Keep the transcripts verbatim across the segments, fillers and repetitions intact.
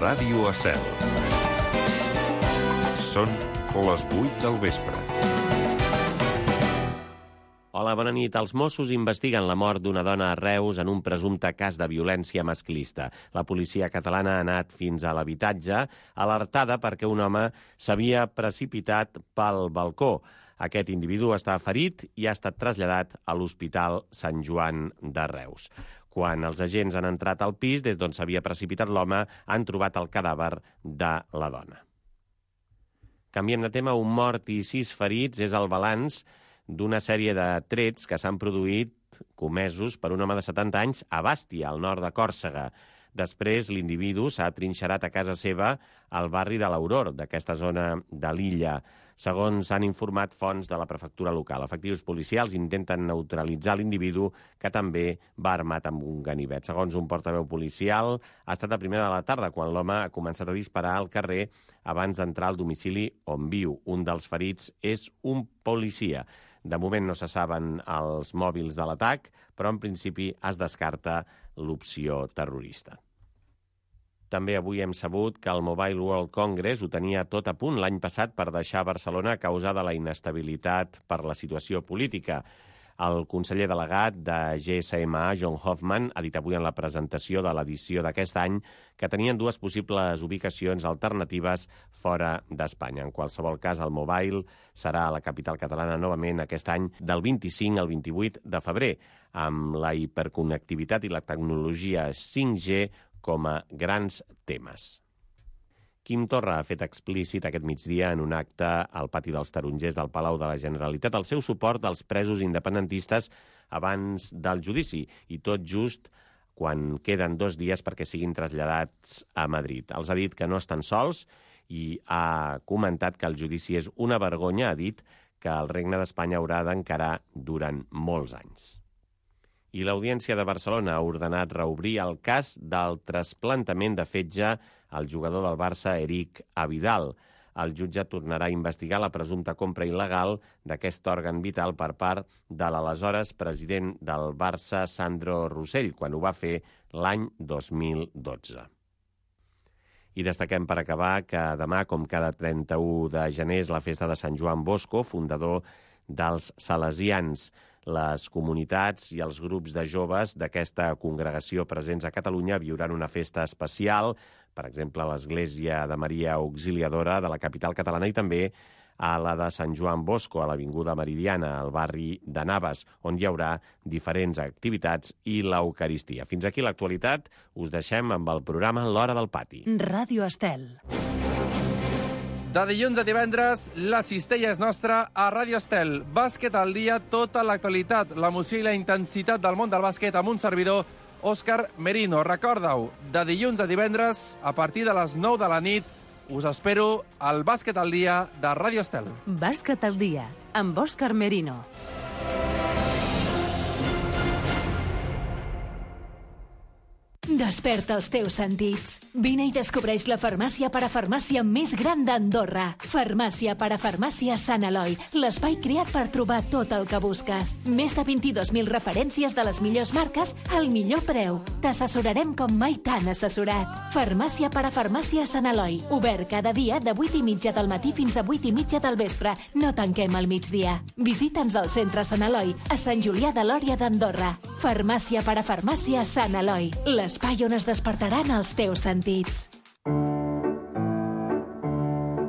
Ràdio Estel. Són les vuit del vespre. Hola, bona nit. Els Mossos investiguen la mort d'una dona a Reus en un presumpte cas de violència masclista. La policia catalana ha anat fins a l'habitatge, alertada perquè un home s'havia precipitat pel balcó. Aquest individu està ferit i ha estat traslladat a l'Hospital Sant Joan de Reus. Quan els agents han entrat al pis, des d'on s'havia precipitat l'home, han trobat el cadàver de la dona. Canviem de tema. Un mort i sis ferits és el balanç d'una sèrie de trets que s'han produït comesos per un home de setanta anys a Bàstia, al nord de Còrsega. Després, l'individu s'ha trinxerat a casa seva al barri de l'Auror, d'aquesta zona de l'illa. Segons han informat fonts de la prefectura local, efectius policials intenten neutralitzar l'individu, que també va armat amb un ganivet. Segons un portaveu policial, ha estat a primera de la tarda quan l'home ha començat a disparar al carrer abans d'entrar al domicili on viu. Un dels ferits és un policia. De moment no se saben els mòbils de l'atac, però en principi es descarta l'opció terrorista. També avui hem sabut que el Mobile World Congress ho tenia tot a punt l'any passat per deixar Barcelona a causa de la inestabilitat per la situació política. El conseller delegat de G S M A, John Hoffman, ha dit avui en la presentació de l'edició d'aquest any que tenien dues possibles ubicacions alternatives fora d'Espanya. En qualsevol cas, el Mobile serà a la capital catalana novament aquest any del vint-i-cinc al vint-i-vuit de febrer, amb la hiperconnectivitat i la tecnologia cinc G com a grans temes. Quim Torra ha fet explícit aquest migdia en un acte al pati dels Tarongers del Palau de la Generalitat el seu suport als presos independentistes abans del judici, i tot just quan queden dos dies perquè siguin traslladats a Madrid. Els ha dit que no estan sols i ha comentat que el judici és una vergonya, ha dit que el Regne d'Espanya haurà d'encarar durant molts anys. I l'Audiència de Barcelona ha ordenat reobrir el cas del trasplantament de fetge al jugador del Barça, Eric Abidal. El jutge tornarà a investigar la presumpta compra il·legal d'aquest òrgan vital per part de l'aleshores president del Barça, Sandro Rosell, quan ho va fer l'any dos mil dotze. I destaquem per acabar que demà, com cada trenta-u de gener, és la festa de Sant Joan Bosco, fundador dels Salesians. Les comunitats i els grups de joves d'aquesta congregació presents a Catalunya viuran una festa especial, per exemple, a l'Església de Maria Auxiliadora de la capital catalana i també a la de Sant Joan Bosco, a l'Avinguda Meridiana, al barri de Navas, on hi haurà diferents activitats i l'Eucaristia. Fins aquí l'actualitat. Us deixem amb el programa L'Hora del Pati. Ràdio Estel. De dilluns a divendres, la cistella és nostra a Ràdio Estel. Bàsquet al dia, tota l'actualitat, l'emoció i la intensitat del món del bàsquet amb un servidor, Òscar Merino. Recorda-ho, de dilluns a divendres, a partir de les nou de la nit, us espero al Bàsquet al dia de Ràdio Estel. Bàsquet al dia, amb Òscar Merino. Desperta els teus sentits. Vine i descobreix la farmàcia parafarmàcia més gran d'Andorra. Farmàcia parafarmàcia Sant Eloi, l'espai creat per trobar tot el que busques. Més de vint-i-dos mil referències de les millors marques al millor preu. T'assessorarem com mai t'han assessorat. Farmàcia parafarmàcia Sant Eloi, obert cada dia de vuit i mitja del matí fins a vuit i mitja del vespre. No tanquem al migdia. Visita'ns al centre Sant Eloi, a Sant Julià de Lòria d'Andorra. Farmàcia parafarmàcia Sant Eloi, l'espai on es despertaran els teus sentits.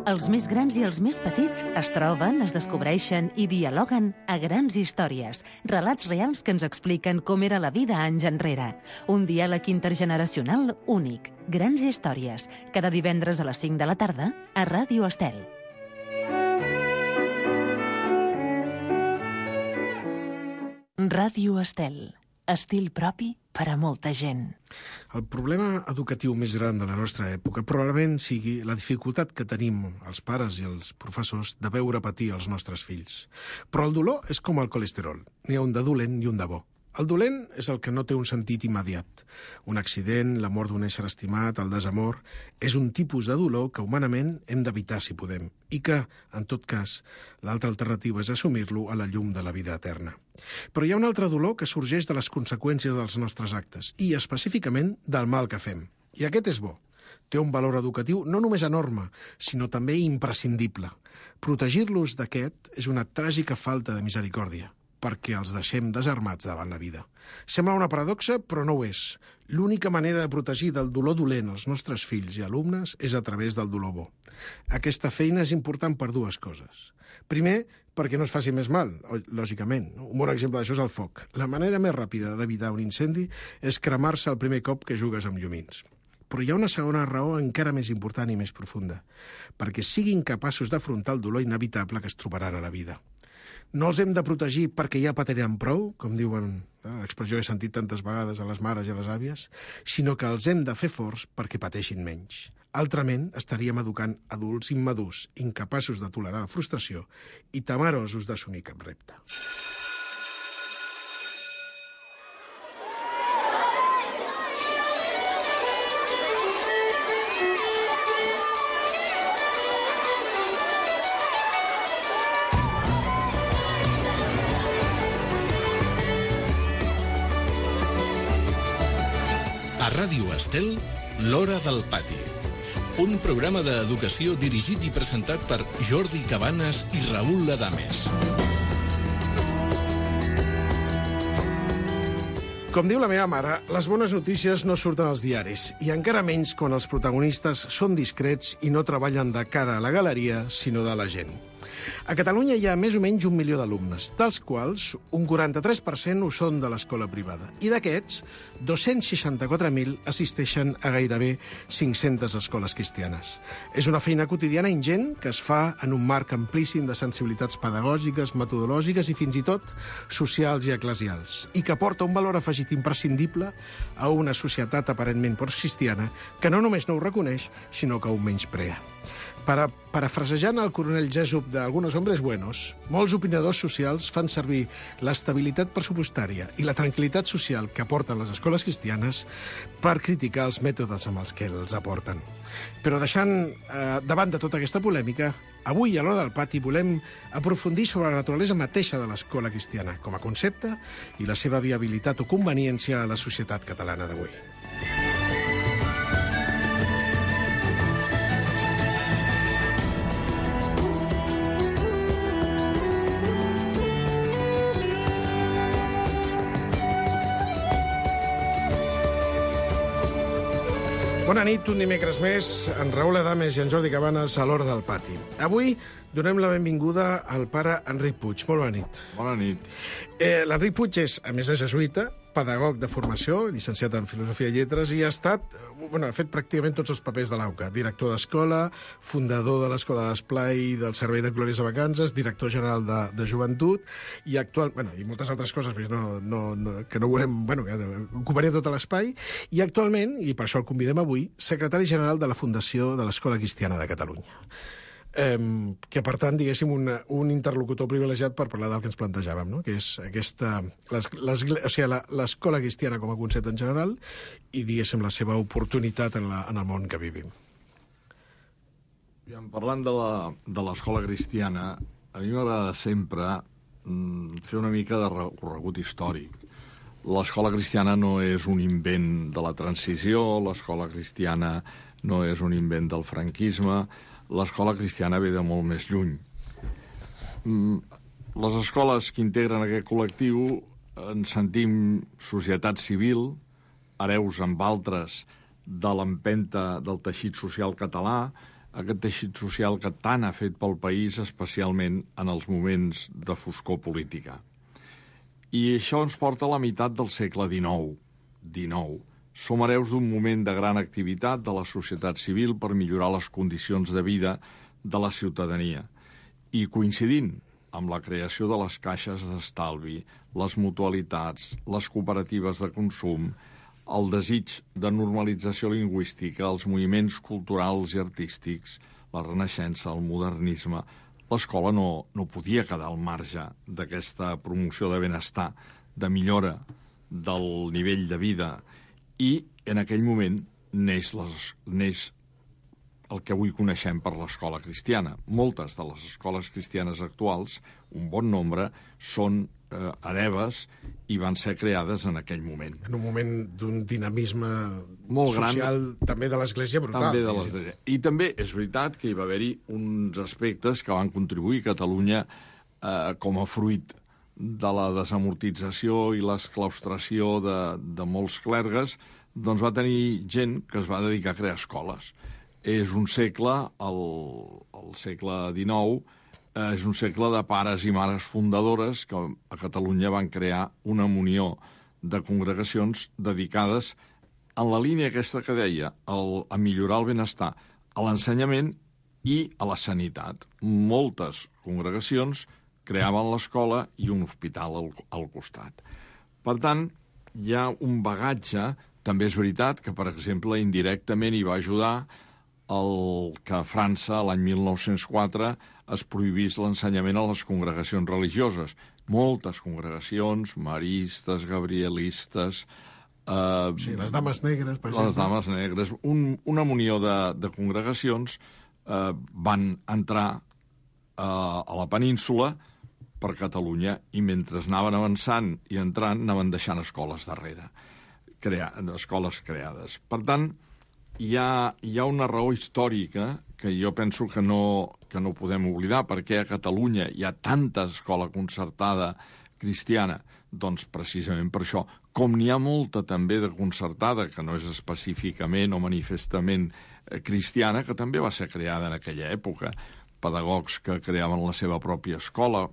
Els més grans i els més petits es troben, es descobreixen i dialoguen a Grans Històries, relats reals que ens expliquen com era la vida anys enrere. Un diàleg intergeneracional únic. Grans Històries, cada divendres a les cinc de la tarda a Ràdio Estel. Ràdio Estel. Estil propi per a molta gent. El problema educatiu més gran de la nostra època probablement sigui la dificultat que tenim els pares i els professors de veure patir els nostres fills. Però el dolor és com el colesterol. N'hi ha un de dolent i un de bo. El dolent és el que no té un sentit immediat. Un accident, la mort d'un ésser estimat, el desamor, és un tipus de dolor que humanament hem d'evitar si podem i que, en tot cas, l'altra alternativa és assumir-lo a la llum de la vida eterna. Però hi ha un altre dolor que sorgeix de les conseqüències dels nostres actes i, específicament, del mal que fem. I aquest és bo. Té un valor educatiu no només enorme, sinó també imprescindible. Protegir-los d'aquest és una tràgica falta de misericòrdia, perquè els deixem desarmats davant la vida. Sembla una paradoxa, però no ho és. L'única manera de protegir del dolor dolent els nostres fills i alumnes és a través del dolor bo. Aquesta feina és important per dues coses. Primer, perquè no es faci més mal, lògicament. Un bon exemple d'això és el foc. La manera més ràpida d'evitar un incendi és cremar-se el primer cop que jugues amb llumins. Però hi ha una segona raó encara més important i més profunda, perquè siguin capaços d'afrontar el dolor inevitable que es trobaran a la vida. No els hem de protegir perquè ja patiran prou, com diuen, eh, l'expressió he sentit tantes vegades a les mares i a les àvies, sinó que els hem de fer forts perquè pateixin menys. Altrament, estaríem educant adults immadurs, incapaços de tolerar la frustració i temerosos d'assumir cap repte. A Ràdio Estel, l'Hora del Pati. Un programa d'educació dirigit i presentat per Jordi Cabanes i Raül Adames. Com diu la meva mare, les bones notícies no surten als diaris, i encara menys quan els protagonistes són discrets i no treballen de cara a la galeria, sinó de la gent. A Catalunya hi ha més o menys un milió d'alumnes, dels quals un quaranta-tres per cent ho són de l'escola privada. I d'aquests, dos-cents seixanta-quatre mil assisteixen a gairebé cinc-centes escoles cristianes. És una feina quotidiana ingent que es fa en un marc amplíssim de sensibilitats pedagògiques, metodològiques i fins i tot socials i eclesials, i que aporta un valor afegit imprescindible a una societat aparentment postcristiana que no només no ho reconeix, sinó que ho menysprea. Para, parafrasejant el coronel Jessup d'Algunos hombres buenos, molts opinadors socials fan servir l'estabilitat pressupostària i la tranquil·litat social que aporten les escoles cristianes per criticar els mètodes amb els que els aporten. Però deixant eh, davant de tota aquesta polèmica, avui a l'Hora del Pati volem aprofundir sobre la naturalesa mateixa de l'escola cristiana com a concepte i la seva viabilitat o conveniència a la societat catalana d'avui. Bona nit, un dimecres més, en Raül Adames i en Jordi Cabanes a l'Hora del Pati. Avui donem la benvinguda al pare Enric Puig. Molt bona nit. Bona nit. Eh, L'Enric Puig és, a més de jesuïta, pedagog de formació, llicenciat en Filosofia i Lletres, i ha estat, bueno, ha fet pràcticament tots els papers de l'A U C A. Director d'escola, fundador de l'Escola d'Esplai del Servei de Glòries a Vacances, director general de, de Joventut, i actual, bueno, i moltes altres coses no, no, no, que no volem, bueno, que ocuparia tot l'espai, i actualment, i per això el convidem avui, secretari general de la Fundació de l'Escola Cristiana de Catalunya. Eh, que, per tant, diguéssim, un, un interlocutor privilegiat per parlar del que ens plantejàvem, no? Que és aquesta, les, les, o sigui, l'escola cristiana com a concepte en general i, diguéssim, la seva oportunitat en, la, en el món que vivim. Parlant de l'escola cristiana, a mi m'agrada sempre mm, fer una mica de recorregut històric. L'escola cristiana no és un invent de la transició, l'escola cristiana no és un invent del franquisme, l'escola cristiana ve de molt més lluny. Les escoles que integren aquest col·lectiu ens sentim societat civil, hereus amb altres de l'empenta del teixit social català, aquest teixit social que tant ha fet pel país, especialment en els moments de foscor política. I això ens porta a la meitat del segle dinou. dinou. Som hereus d'un moment de gran activitat de la societat civil per millorar les condicions de vida de la ciutadania. I coincidint amb la creació de les caixes d'estalvi, les mutualitats, les cooperatives de consum, el desig de normalització lingüística, els moviments culturals i artístics, la Renaixença, el modernisme, l'escola no, no podia quedar al marge d'aquesta promoció de benestar, de millora del nivell de vida. I en aquell moment neix, les, neix el que avui coneixem per l'escola cristiana. Moltes de les escoles cristianes actuals, un bon nombre, són eh, hereves i van ser creades en aquell moment. En un moment d'un dinamisme molt social, gran, també de l'Església, brutal. També de l'Església. I també és veritat que hi va haver-hi uns aspectes que van contribuir a Catalunya eh, com a fruit de la desamortització i l'esclaustració de, de molts clergues, doncs va tenir gent que es va dedicar a crear escoles. És un segle, el, el segle dinou, eh, és un segle de pares i mares fundadores que a Catalunya van crear una munió de congregacions dedicades en la línia aquesta que deia, el, a millorar el benestar, a l'ensenyament i a la sanitat. Moltes congregacions creaven l'escola i un hospital al, al costat. Per tant, hi ha un bagatge. També és veritat que, per exemple, indirectament hi va ajudar el que a França, l'any mil nou-cents quatre, es prohibís l'ensenyament a les congregacions religioses. Moltes congregacions, maristes, gabrielistes... Eh, sí, les dames negres, per exemple. Les dames negres. Un, una munió de, de congregacions eh, van entrar eh, a la península per Catalunya i mentre anaven avançant i entrant anaven deixant escoles darrere, crea, escoles creades. Per tant, hi ha, hi ha una raó històrica que jo penso que no, que no podem oblidar, perquè a Catalunya hi ha tanta escola concertada cristiana, doncs precisament per això. Com n'hi ha molta també de concertada, que no és específicament o manifestament cristiana, que també va ser creada en aquella època, pedagogs que creaven la seva pròpia escola.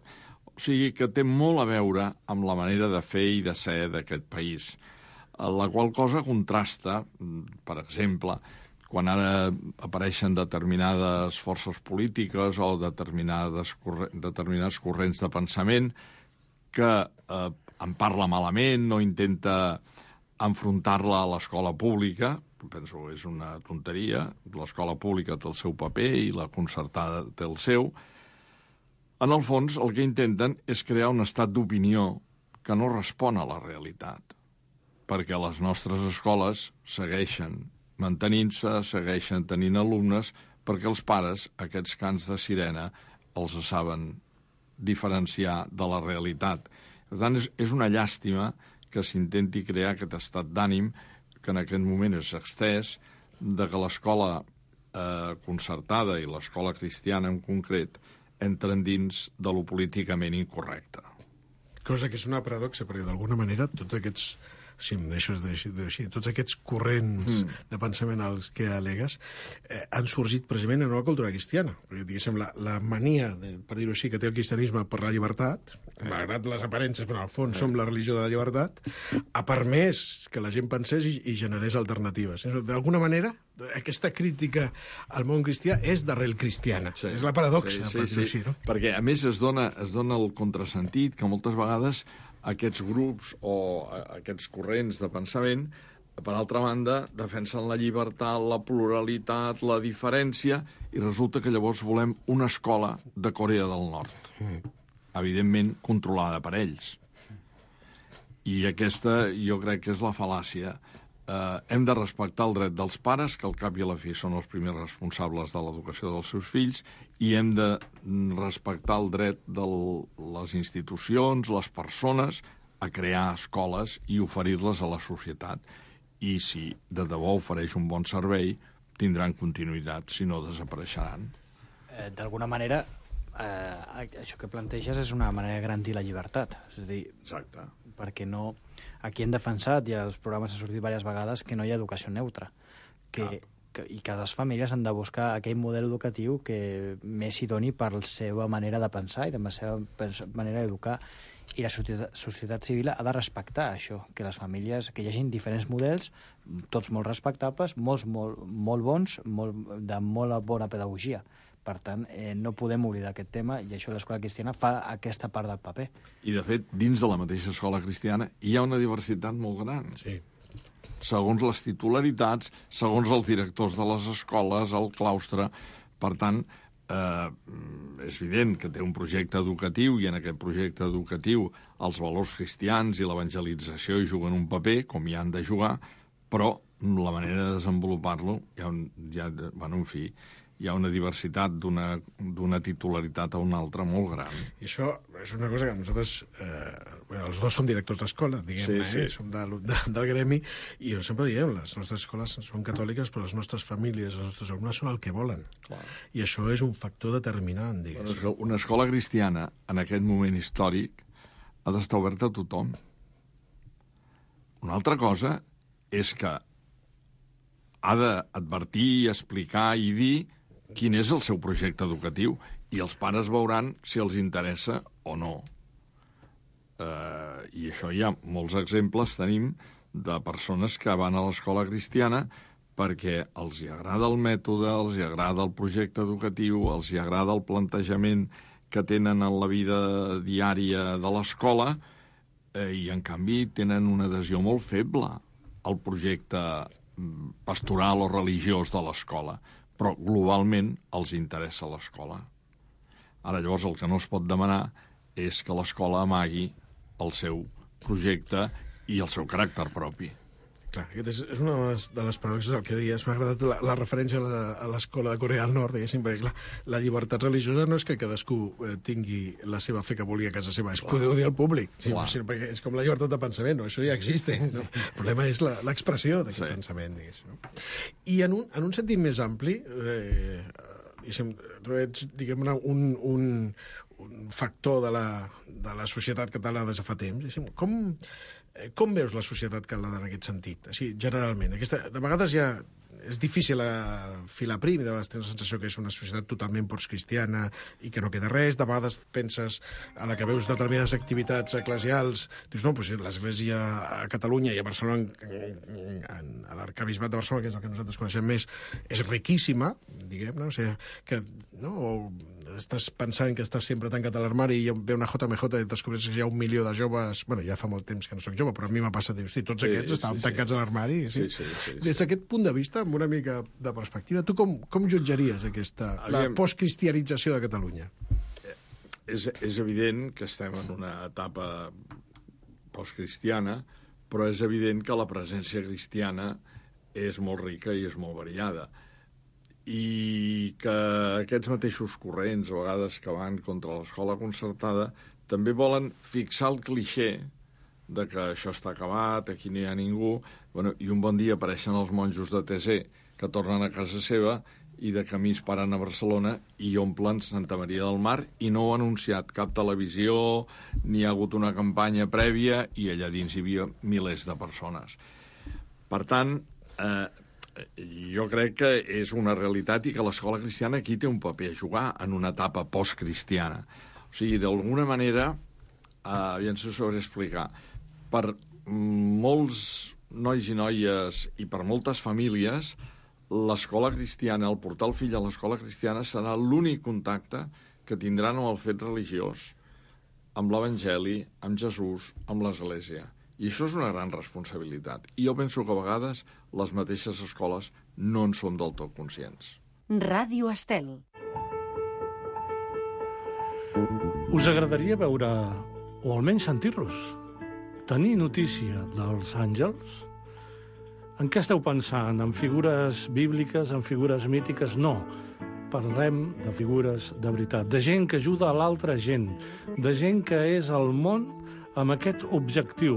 O sigui que té molt a veure amb la manera de fer i de ser d'aquest país. La qual cosa contrasta, per exemple, quan ara apareixen determinades forces polítiques o determinades, determinats corrents de pensament que eh, en parla malament, no intenta enfrontar-la a l'escola pública, penso que és una tonteria, l'escola pública té el seu paper i la concertada té el seu. En el fons, el que intenten és crear un estat d'opinió que no respon a la realitat, perquè les nostres escoles segueixen mantenint-se, segueixen tenint alumnes, perquè els pares, aquests cants de sirena, els saben diferenciar de la realitat. Per tant, és, és una llàstima que s'intenti crear aquest estat d'ànim que en aquest moment és extès, de que l'escola eh, concertada i l'escola cristiana en concret entren dins de lo políticament incorrecte. Cosa que és una paradoxa, perquè d'alguna manera tots aquests, si em deixes de dir, tots aquests corrents mm. de pensament als que alegues eh, han sorgit precisament en una cultura cristiana. Perquè, diguéssim, la, la mania, de, per dir-ho així, que té el cristianisme per la llibertat, eh. malgrat les aparences, però al fons eh. som la religió de la llibertat, ha permès que la gent pensés i, i generés alternatives. D'alguna manera, aquesta crítica al món cristià és d'arrel cristiana. Sí. És la paradoxa, sí, sí, per dir-ho sí. així. No? Perquè, a més, es dona, es dona el contrasentit que moltes vegades aquests grups o aquests corrents de pensament, per altra banda, defensen la llibertat, la pluralitat, la diferència, i resulta que llavors volem una escola de Corea del Nord, mm. evidentment controlada per ells. I aquesta jo crec que és la fal·làcia. Eh, hem de respectar el dret dels pares, que al cap i a la fi són els primers responsables de l'educació dels seus fills, i hem de respectar el dret de les institucions, les persones, a crear escoles i oferir-les a la societat. I si de debò ofereix un bon servei, tindran continuïtat, si no desapareixeran. Eh, D'alguna manera, eh, això que planteges és una manera de garantir la llibertat. És a dir, exacte. Perquè no... Aquí hem defensat, i als programes ha sortit diverses vegades, que no hi ha educació neutra. Que, que, I que les famílies han de buscar aquell model educatiu que més hi doni per la seva manera de pensar i de la seva manera d'educar. I la societat, societat civil ha de respectar això, que les famílies, que hi hagi diferents models, tots molt respectables, molts molt, molt bons, molt, de molt bona pedagogia. Per tant, eh, no podem oblidar aquest tema, i això l'escola cristiana fa aquesta part del paper. I, de fet, dins de la mateixa escola cristiana hi ha una diversitat molt gran. Sí. Segons les titularitats, segons els directors de les escoles, el claustre. Per tant, eh, és evident que té un projecte educatiu, i en aquest projecte educatiu els valors cristians i l'evangelització hi juguen un paper, com hi han de jugar, però la manera de desenvolupar-lo, ja, ja, bueno, en fi, hi ha una diversitat d'una d'una titularitat a una altra molt gran. I això és una cosa que nosaltres, eh, els dos som directors d'escola, diguem-ne, sí, sí. eh? Som de, de, del gremi, i jo sempre diem, les nostres escoles són catòliques, però les nostres famílies, els nostres alumnes són el que volen. Clar. I això és un factor determinant, diguem. Bueno, una escola cristiana, en aquest moment històric, ha d'estar oberta a tothom. Una altra cosa és que ha d'advertir, explicar i dir quin és el seu projecte educatiu, i els pares veuran si els interessa o no. Eh, I això hi ha molts exemples, tenim, de persones que van a l'escola cristiana perquè els hi agrada el mètode, els hi agrada el projecte educatiu, els hi agrada el plantejament que tenen en la vida diària de l'escola, eh, i en canvi tenen una adhesió molt feble al projecte pastoral o religiós de l'escola, però globalment els interessa l'escola. Ara, llavors, el que no es pot demanar és que l'escola amagui el seu projecte i el seu caràcter propi. Clar, aquest és, és una de les, de les paradoxes del que deies. M'ha agradat la, la referència a la, a l'escola de Corea del Nord, diguéssim, perquè clar, la llibertat religiosa no és que cadascú eh, tingui la seva fe que vulgui a casa seva, és poder dir al públic, sí, sinó perquè és com la llibertat de pensament, no? Això ja existe. No? El problema és l'expressió d'aquest sí. pensament, diguéssim. No? I en un, en un sentit més ampli, eh, diguéssim, tu ets, diguem-ne, un, un, un factor de la, de la societat catalana des de fa temps, diguéssim, com... Com veus la societat catalana en aquest sentit? Així, generalment. Aquesta, de vegades ja és difícil filar prim, de vegades tens la sensació que és una societat totalment postcristiana i que no queda res. De vegades penses, a la que veus determinades activitats eclesials, dius, no, doncs l'Església a Catalunya i a Barcelona, en, en, a l'Arcabisbat de Barcelona, que és el que nosaltres coneixem més, és riquíssima, diguem-ne, o sigui, que, no, o estàs pensant que estàs sempre tancat a l'armari i ve una J M J i descobres que hi ha un milió de joves... Bueno, ja fa molt temps que no soc jove, però a mi m'ha passat, dius, sí, tots aquests sí, estaven sí, tancats sí. a l'armari. Sí? Sí, sí, sí, sí. Des d'aquest punt de vista, amb una mica de perspectiva, tu com, com jutjaries aquesta, la postcristianització de Catalunya? És, és evident que estem en una etapa postcristiana, però és evident que la presència cristiana és molt rica i és molt variada. I que aquests mateixos corrents, a vegades que van contra l'escola concertada, també volen fixar el clixé de que això està acabat, aquí no hi ha ningú, bueno, i un bon dia apareixen els monjos de T C que tornen a casa seva i de camí es paren a Barcelona i omplen Santa Maria del Mar i no ho ha anunciat cap televisió, ni ha hagut una campanya prèvia i allà dins hi havia milers de persones. Per tant, eh, jo crec que és una realitat i que l'escola cristiana aquí té un paper a jugar en una etapa postcristiana. O sigui, d'alguna manera, eh, ja ens ho sabré explicar, per molts nois i noies i per moltes famílies, l'escola cristiana, el portar el fill a l'escola cristiana serà l'únic contacte que tindran amb el fet religiós, amb l'Evangeli, amb Jesús, amb l'Església. I això és una gran responsabilitat. I jo penso que a vegades les mateixes escoles no en són del tot conscients. Ràdio Estel. Us agradaria veure, o almenys sentir-los, tenir notícia dels àngels? En què esteu pensant? En figures bíbliques, en figures mítiques? No. Parlem de figures de veritat, de gent que ajuda a l'altra gent, de gent que és al món amb aquest objectiu,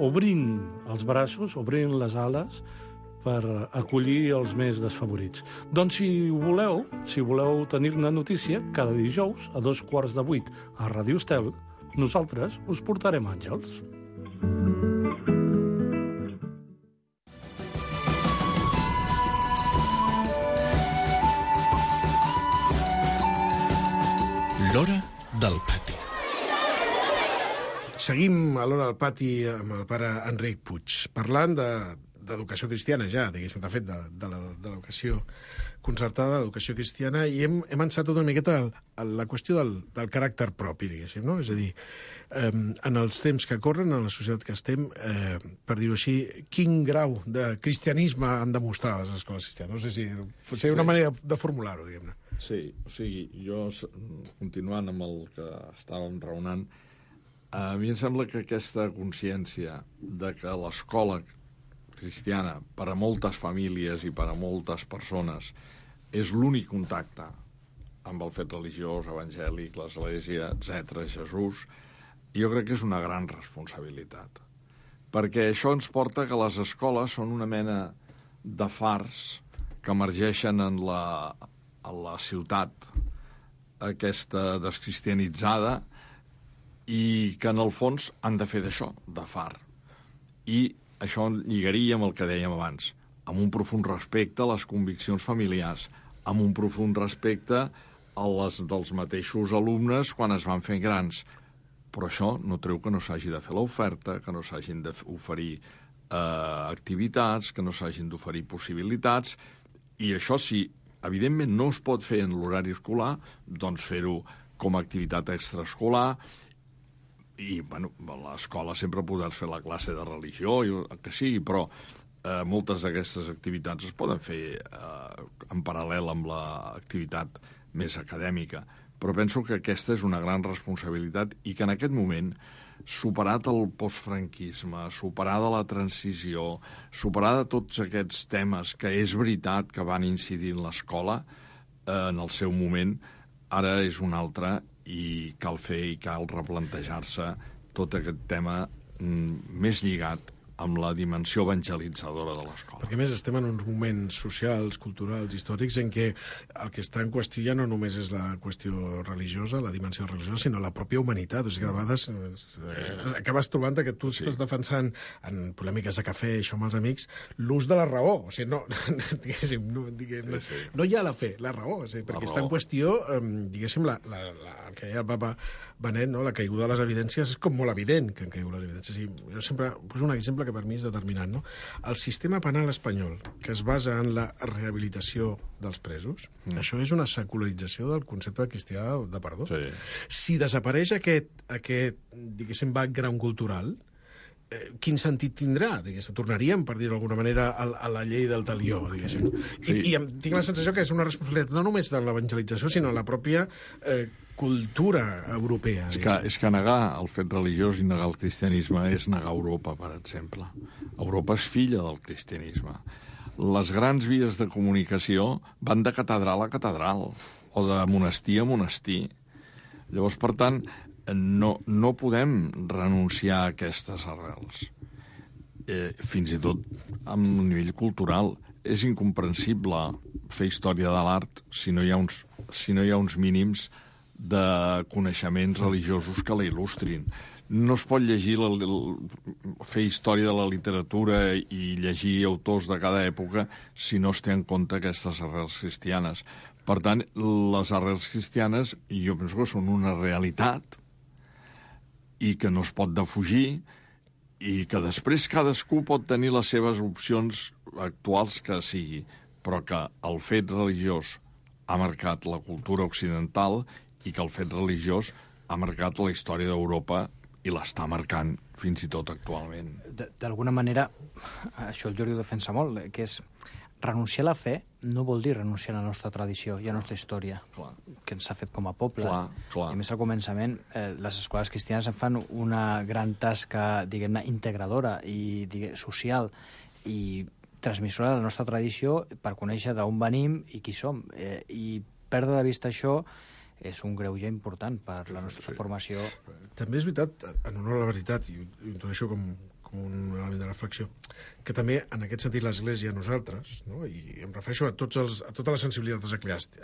obrint els braços, obrint les ales, per acollir els més desfavorits. Doncs si voleu, si voleu tenir-ne notícia, cada dijous, a dos quarts de vuit, a Ràdio Estel, nosaltres us portarem àngels. L'hora del pati. Seguim a l'hora del pati amb el pare Enric Puig, parlant de, d'educació cristiana ja, diguéssim, de fet, de, de, la, de l'educació concertada, l'educació cristiana, i hem, hem ençat una miqueta a la qüestió del, del caràcter propi, diguéssim, no? És a dir, eh, en els temps que corren, en la societat que estem, eh, per dir-ho així, quin grau de cristianisme han de mostrar les escoles cristianes? No sé si potser una manera de formular-ho, diguem-ne. Sí, o sigui, jo, continuant amb el que estàvem raonant, a mi em sembla que aquesta consciència de que l'escola cristiana, per a moltes famílies i per a moltes persones, és l'únic contacte amb el fet religiós, evangèlic, l'Església, etcètera, Jesús, jo crec que és una gran responsabilitat. Perquè això ens porta que les escoles són una mena de fars que emergeixen en la, en la ciutat aquesta descristianitzada i que en el fons han de fer d'això, de far. I això lligaria amb el que dèiem abans, amb un profund respecte a les conviccions familiars, amb un profund respecte a les dels mateixos alumnes quan es van fent grans. Però això no treu que no s'hagi de fer l'oferta, que no s'hagin d'oferir eh, activitats, que no s'hagin d'oferir possibilitats, i això sí, evidentment no es pot fer en l'horari escolar, doncs fer-ho com a activitat extraescolar, i bueno, a l'escola sempre podràs fer la classe de religió, i el que sigui, però eh, moltes d'aquestes activitats es poden fer eh, en paral·lel amb l'activitat més acadèmica. Però penso que aquesta és una gran responsabilitat i que en aquest moment, superat el postfranquisme, superada la transició, superada tots aquests temes que és veritat que van incidir en l'escola eh, en el seu moment, ara és un altre i cal fer i cal replantejar-se tot aquest tema mm, més lligat amb la dimensió evangelitzadora de l'escola. Perquè, a més, estem en uns moments socials, culturals, històrics, en què el que està en qüestió ja no només és la qüestió religiosa, la dimensió religiosa, sinó la pròpia humanitat. O sigui que de vegades eh, acabes trobant que tu sí. estàs defensant en polèmiques de cafè, això amb els amics, l'ús de la raó. O sigui, no, diguéssim, no, diguéssim, sí, sí. no hi ha la fe, la raó. O sigui, perquè la està en qüestió, eh, diguéssim, la, la, la, el que deia el papa Benet, no? La caiguda de les evidències és com molt evident que han caigut les evidències. I jo sempre poso un exemple que per mi és determinant, no? El sistema penal espanyol, que es basa en la rehabilitació dels presos, mm. això és una secularització del concepte cristià de perdó. Sí. Si desapareix aquest, aquest diguéssim, background cultural, eh, quin sentit tindrà? Diguéssim? Tornaríem, per dir-ho d'alguna manera, a, a la llei del talió, diguéssim. Sí. I, I tinc la sensació que és una responsabilitat no només de l'evangelització, sinó la pròpia eh, cultura europea. És que, és que negar el fet religiós i negar el cristianisme és negar Europa, per exemple. Europa és filla del cristianisme. Les grans vies de comunicació van de catedral a catedral, o de monestir a monestir. Llavors, per tant, no, no podem renunciar a aquestes arrels. Eh, fins i tot a un nivell cultural. És incomprensible fer història de l'art si no hi ha uns, si no hi ha uns mínims de coneixements religiosos que la il·lustrin. No es pot llegir la, fer història de la literatura i llegir autors de cada època si no es té en compte aquestes arrels cristianes. Per tant, les arrels cristianes jo penso que són una realitat i que no es pot defugir i que després cadascú pot tenir les seves opcions actuals que sigui, però que el fet religiós ha marcat la cultura occidental i que el fet religiós ha marcat la història d'Europa i l'està marcant fins i tot actualment. D'alguna manera, això el Jordi ho defensa molt, que és renunciar a la fe no vol dir renunciar a la nostra tradició i a la nostra història, clar, que ens ha fet com a poble. Clar, clar. I a més, al començament, eh, les escoles cristianes en fan una gran tasca, diguem-ne, integradora i diguem, social i transmissora de la nostra tradició per conèixer d'on venim i qui som. Eh, I perdre de vista això és un greuge important per la nostra sí. formació. També és veritat, en honor a la veritat, i ho introdueixo com, com un element de reflexió, que també, en aquest sentit, l'Església, nosaltres, no? I em refereixo a, tots els, a totes les sensibilitats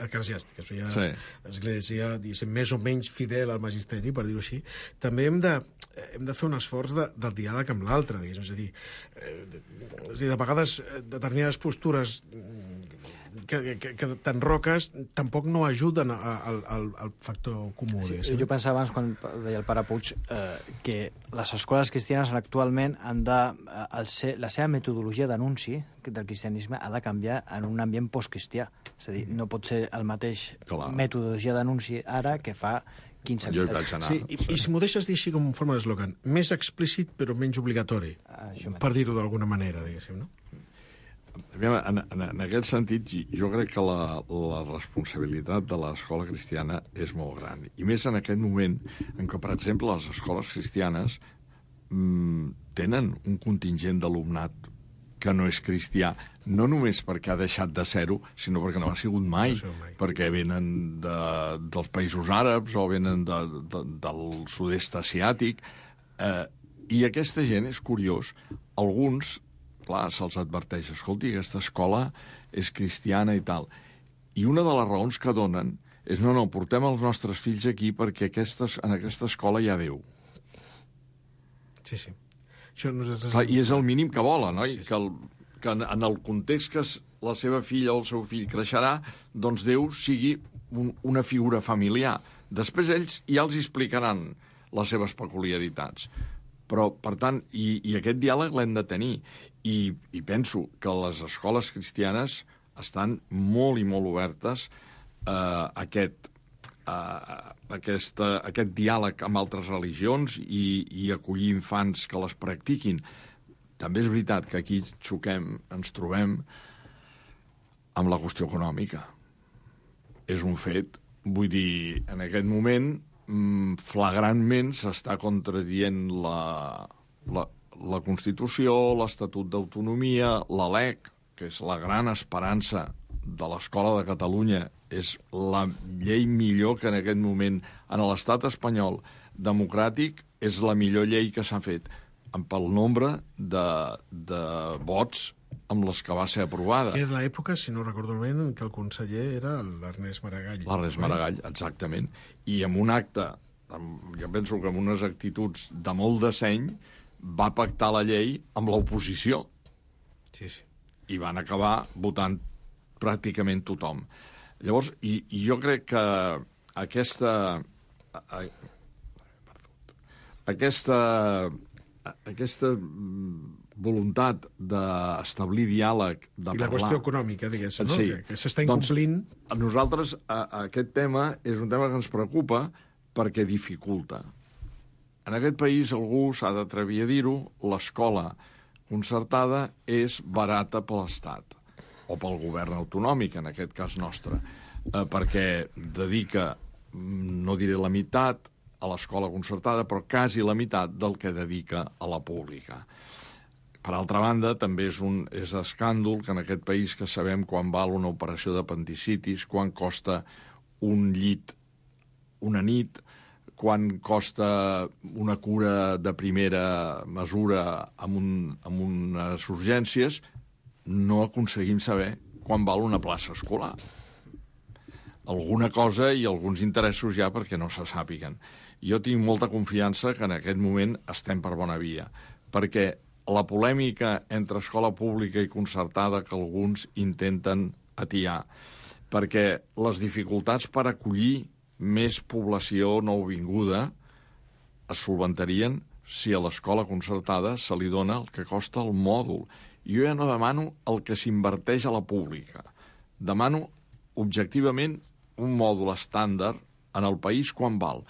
eclesiàstiques, ja, sí. l'Església, diguéssim, més o menys fidel al magisteri, per dir-ho així, també hem de, hem de fer un esforç de, del diàleg amb l'altre, diguéssim, és a dir, eh, és a dir, de vegades determinades postures que, que, que t'enroques tampoc no ajuden al, al, al factor comú. Sí, jo pensava abans, quan deia el pare Puig, eh, que les escoles cristianes actualment han de... El ser, la seva metodologia d'anunci del cristianisme ha de canviar en un ambient postcristià. És a dir, no pot ser el mateix Clar. metodologia d'anunci ara que fa quinze anys. Sí, i, i si m'ho deixes dir així com en forma d'eslògan, més explícit però menys obligatori, ah, per dir-ho d'alguna manera, diguéssim, no? En, en, en aquest sentit, jo crec que la, la responsabilitat de l'escola cristiana és molt gran. I més en aquest moment en què, per exemple, les escoles cristianes mmm, tenen un contingent d'alumnat que no és cristià, no només perquè ha deixat de ser-ho, sinó perquè no ha sigut mai, no mai. perquè venen de, dels països àrabs o venen de, de, del sud-est asiàtic, eh, i aquesta gent, és curiós, alguns, clar, se'ls adverteix, escolti, aquesta escola és cristiana i tal, i una de les raons que donen és no, no, portem els nostres fills aquí perquè aquestes, en aquesta escola hi ha Déu. Sí, sí. Això nosaltres... Clar, I és el mínim que volen, oi? Sí, sí. Que, el, que en, en el context que la seva filla o el seu fill creixerà, doncs Déu sigui un, una figura familiar. Després ells ja els explicaran les seves peculiaritats. Però, per tant, i, i aquest diàleg l'hem de tenir. I, I penso que les escoles cristianes estan molt i molt obertes a eh, aquest, eh, aquesta, aquest diàleg amb altres religions i, i acollir infants que les practiquin. També és veritat que aquí xoquem, ens trobem amb la qüestió econòmica. És un fet, vull dir, en aquest moment, flagrantment s'està contradient la, la, la Constitució, l'Estatut d'Autonomia, la LEC, que és la gran esperança de l'Escola de Catalunya, és la llei millor que en aquest moment en l'estat espanyol democràtic, és la millor llei que s'ha fet pel nombre de, de vots amb les que va ser aprovada. Era l'època, si no recordo malament, en què el conseller era l'Ernest Maragall. L'Ernest Maragall, exactament. I amb un acte, amb, jo penso que amb unes actituds de molt de seny, va pactar la llei amb l'oposició. Sí, sí. I van acabar votant pràcticament tothom. Llavors, i, i jo crec que aquesta... A, aquesta... aquesta voluntat d'establir diàleg, de I la parlar... qüestió econòmica, diguéssim, no? Sí. Que, que s'està incomplint... Doncs, a nosaltres a, a aquest tema és un tema que ens preocupa perquè dificulta. En aquest país algú s'ha d'atrevir a dir-ho, l'escola concertada és barata per l'Estat, o pel govern autonòmic, en aquest cas nostre, eh, perquè dedica, no diré la meitat, a l'escola concertada, però quasi la meitat del que dedica a la pública. Per altra banda, també és un és escàndol que en aquest país que sabem quan val una operació d'apendicitis, quan costa un llit una nit, quan costa una cura de primera mesura amb, un, amb unes urgències, no aconseguim saber quan val una plaça escolar. Alguna cosa i alguns interessos ja perquè no se sàpiguen. Jo tinc molta confiança que en aquest moment estem per bona via, perquè la polèmica entre escola pública i concertada que alguns intenten atiar, perquè les dificultats per acollir més població nouvinguda es solventarien si a l'escola concertada se li dona el que costa el mòdul. Jo ja no demano el que s'inverteix a la pública. Demano objectivament un mòdul estàndard en el país quan val.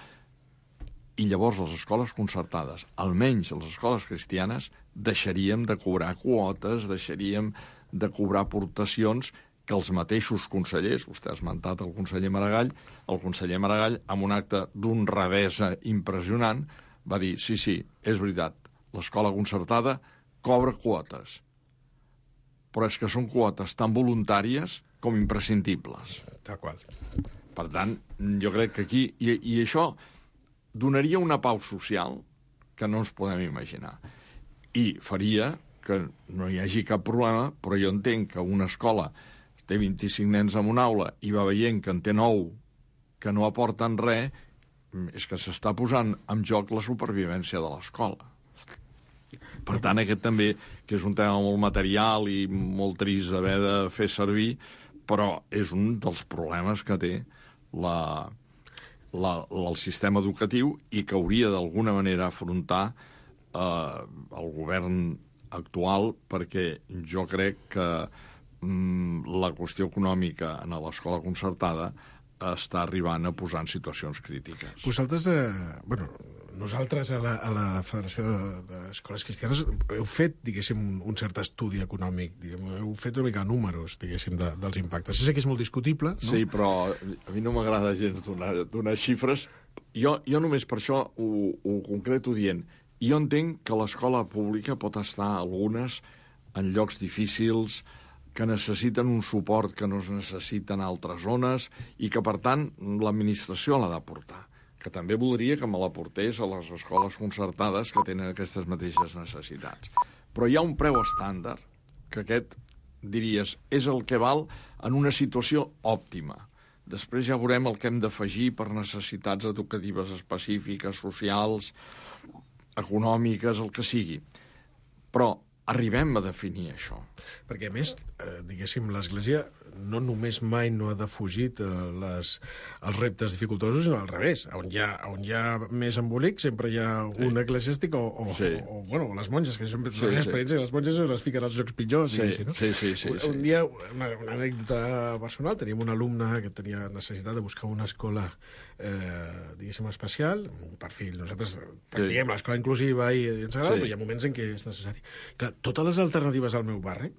I llavors les escoles concertades, almenys les escoles cristianes, deixaríem de cobrar quotes, deixaríem de cobrar aportacions que els mateixos consellers, vostè ha esmentat el conseller Maragall, el conseller Maragall, amb un acte d'honradesa impressionant, va dir, sí, sí, és veritat, l'escola concertada cobra quotes, però és que són quotes tan voluntàries com imprescindibles. Tal qual. Per tant, jo crec que aquí... I, i això donaria una pau social que no ens podem imaginar. I faria que no hi hagi cap problema, però jo entenc que una escola té vint-i-cinc nens en una aula i va veient que en té nou que no aporten res, és que s'està posant en joc la supervivència de l'escola. Per tant, aquest també, que és un tema molt material i molt trist d'haver de fer servir, però és un dels problemes que té la, la, el sistema educatiu i que hauria d'alguna manera afrontar eh, el govern actual, perquè jo crec que mm, la qüestió econòmica en l'escola concertada està arribant a posar en situacions crítiques. Vosaltres, eh, bueno, nosaltres a la, a la Federació d'Escoles Cristianes heu fet, diguéssim, un, un cert estudi econòmic, diguem, heu fet una mica números, diguéssim, de, dels impactes. Sé que és molt discutible, no? Sí, però a mi no m'agrada gens donar, donar xifres. Jo, jo només per això ho, ho concreto dient. Jo entenc que l'escola pública pot estar algunes en llocs difícils, que necessiten un suport que no es necessita en altres zones i que, per tant, l'administració l'ha d'aportar. Que també voldria que me l'aportés a les escoles concertades que tenen aquestes mateixes necessitats. Però hi ha un preu estàndard, que aquest, diries, és el que val en una situació òptima. Després ja veurem el que hem d'afegir per necessitats educatives específiques, socials, econòmiques, el que sigui. Però arribem a definir això. Perquè, a més, eh, diguéssim, l'Església no només mai no ha defugit eh, les, els reptes dificultosos, sinó al revés. On hi ha, on hi ha més embolic, sempre hi ha un sí. eclesiàstic o, o, sí. o, o, bueno, les monges, que són sí, l'experiència, sí. les monges les fiquen als llocs pitjors. Sí, sí, no? sí, sí, sí, un, sí. un dia, una, una anècdota personal, teníem un alumne que tenia necessitat de buscar una escola eh, diguéssim, especial, per fill. Nosaltres practiquem sí. l'escola inclusiva i ens agrada, sí. però hi ha moments en què és necessari. Clar, totes les alternatives al meu barri,